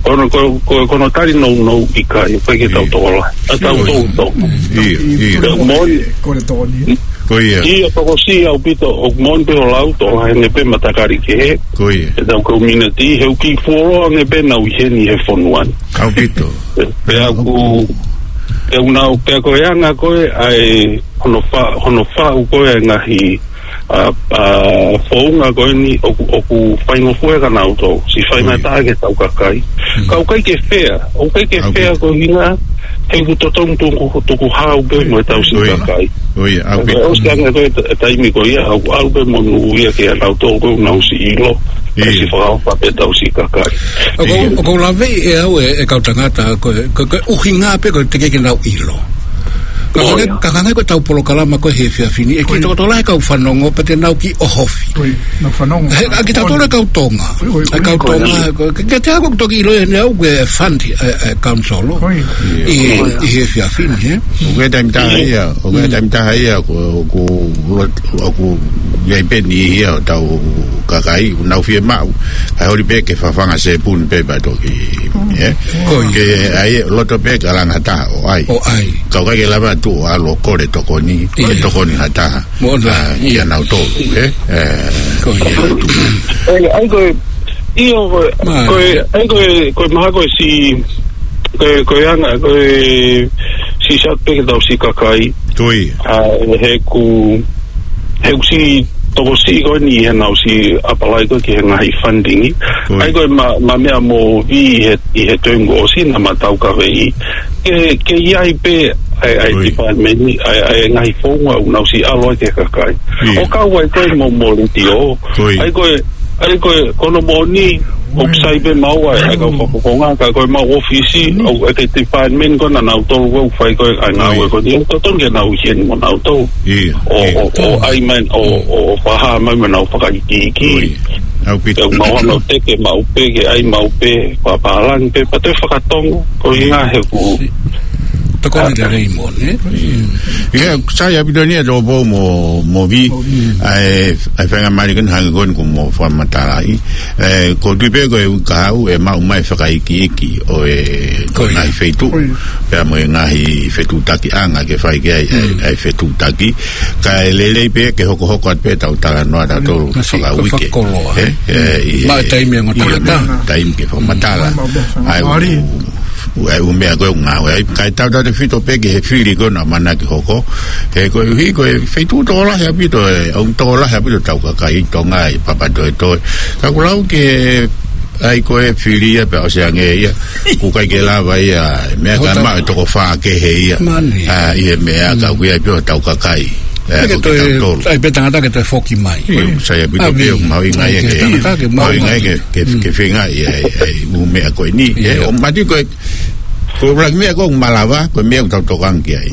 Ko hono, ko, ko, ko hono tali nounou ʻikai, ʻikai ke tau Oi. tokolahi. ʻA tau Oi. toutou. ʻIo, ʻio. Ko e moʻoni. Ko e tokoni. Ko ia. ʻIo, tokosiʻi ʻaupito, ʻoku moʻoni pē hoʻo lau, tokolahi ange pē matakali kehe. Ko ia. ʻEtau community, he ʻoku kiʻi fuoloa ange pē ʻenau ʻi heni he fonua ni. ʻAupito. Pea ʻoku, pea ʻoku nau, pea ko e anga ko ē ʻa e hono fa-, hono faʻu ko ē ʻa e ngaahi, ʻa, ʻa, founga ko eni ʻoku, ʻoku faingofua kia nautolu. Siʻi faingataʻa ki heʻetau kakai. Mm. Ka ʻoku ʻikai ke fair, ʻoku ʻikai ke ʻAupito. fair ko e ʻuhinga, he ʻoku totonu tuku, tukuhau pē mo ʻetau siʻi Ko ia. kakai. Ko ia, ʻaupito. ʻOsi ange ko e ta-, taimi ko ia, ʻoku ʻalu pē monū ia kia nautolu ko ē ʻoku nau siʻi ʻilo. ʻIo. Siʻi fakaʻofa pē ʻetau siʻi kakai. ʻOku, ʻIo. ʻoku ou laveʻi ʻe au ʻe, ʻe kau tangata ko e, ko e, ko e ʻuhinga pē ko e teʻeki ke nau ʻilo. Ka Ko hangē, ia. ka hangē ko ʻetau polokalama ko ē he efiafi ni, ʻe kiʻi Ko ia. tokotokolahi kau fanongo pea te nau kiʻi ʻohofi. Ko ia, nau fanongo. He, ʻa kitautolu e kau Tonga. Ko ia, ko ia, ʻA e kau ko ia. Tonga, ko, ke, ke te ako toki ʻilo eni au ko e fund, ʻe, ʻe, council. Ko ia. ʻI, ʻi he efiafi ni, ē? ʻOku ʻi ai e taimi taha ia, ʻoku ʻi ai e Mm. taimi taha ia, ko, ko, ʻoku ʻi ai pē niʻihi ia ʻo ʻetau kakai, ʻoku nau fiemaʻu. Kae holi pē ke fafanga sepuni pē pea toki, ē? Ko ia. Ke ʻai loto pē ke langa ha taha ʻo ʻai. ʻO ʻai. Ka ʻoku ʻikai ke lava atu ʻo ʻalu ʻo kole tokoni, ʻIo. ke tokoni ha taha. Mo ʻona, ʻA, ʻio. kia nautolu, ē? Ē, Ko ia. ʻAi, ʻai ko e, ʻio ko e, Mā. ko e, ʻai ko e, ko e mahalo ko e siʻi, ko e, ko e anga, ko e siʻi sat pē ke tau siʻi kakai. Ko ia. ʻA, he ʻoku, he ʻoku siʻi tokosiʻi ko eni he nau siʻi apply ko ē ki he ngaahi funding. Ko ia. ʻAi ko e ma, ma meʻa mo Vī he, ʻi he tōʻonga ʻosi naʻa ma taukaveʻi. Ke, ke ʻi ai pē ʻa e, ʻa e Ko ia. department ni, ʻa e, ʻa e ngaahi founga ʻoku nau siʻi ʻalu ai ki he kakai. ʻIo. ʻO kau ai ko ē mo, mo letiō. Ko ia. ʻAi ko e, ʻA ia ko e, ko hono moʻoni, ʻoku sai pē maua ʻa e kau fakafofonga, ka ko ʻemau ʻōfisi, ʻoku ʻi ai e department ko ē ʻanautolu ʻoku fai ko ē ʻa e ngāue ko eni, ʻoku totonu ke nau ʻi heni mo nautolu. ʻIo, ʻo, ʻio. ʻO, ʻo ʻai mai, ʻo, ʻo fakahā mai mo nau fakaikiiki. ʻIo. ʻAupito. Pea ʻoku mau hanga ʻo teke maʻu pē, ke ʻai maʻu pē, fakapālangi pē, pea toe fakatongo, ko e ʻuhinga he ʻoku. Tokoni lelei mo, ne? ʻIo. ʻIo, sai ʻaupito eni ʻa Tōpou mo, mo Vī, ʻa e, ʻa e faingamālie ko eni hangē ko eni kuo mo fakamatalaʻi. ʻE, ʻoku ou tui pē ko e ʻuhinga ʻoku maʻu mai e fakaikiiki ʻo e, ko e ngaahi feituʻu. Pea mo e ngaahi fetuʻutakiʻanga ke fai ki ai, ʻa e, ʻa e fetuʻutaki. Kae lelei pē ke hokohoko atu pē ʻetau talanoa ʻatautolu fakauike. Fakakoloa. ʻE, ʻe, ʻi he, maʻu e taimi ʻo e ngaahi ʻio, maʻu e taimi ke fakamatala. ʻA e, ʻa e ʻū meʻa ko ē ʻoku ngāueʻaki. Kae tautautefito pē ki he fili ko ē naʻa mau ʻamanaki ke hoko. He koeʻuhi ko e feituʻu tokolahi ʻaupito, ʻe, ʻoku tokolahi ʻaupito ʻetau kakai ʻi Tonga ʻi Papatoetoe. Ka ʻoku lau ke ʻai ko e fili ia pea ʻosi ange ia. ʻOku ʻikai ke lava ia, meʻa ka maʻu e toko fā kehe ia. ʻA, ʻi he meʻa ka ʻoku ʻi ai pē hotau kakai. ʻE, ʻoku tau tolu. ʻAi pē tangata ke toe foki mai. ʻIo, sai ʻaupito pē ʻoku mahuʻinga ia ke, mahuʻinga ia ke, ke, ke feinga ia, ʻa e, ʻa e ʻū meʻa ko eni. ʻE, ʻo mati ko e, ko e ʻuluaki meʻa ko ē ʻoku malava, ko e meʻa ʻoku tau tokanga ki ai.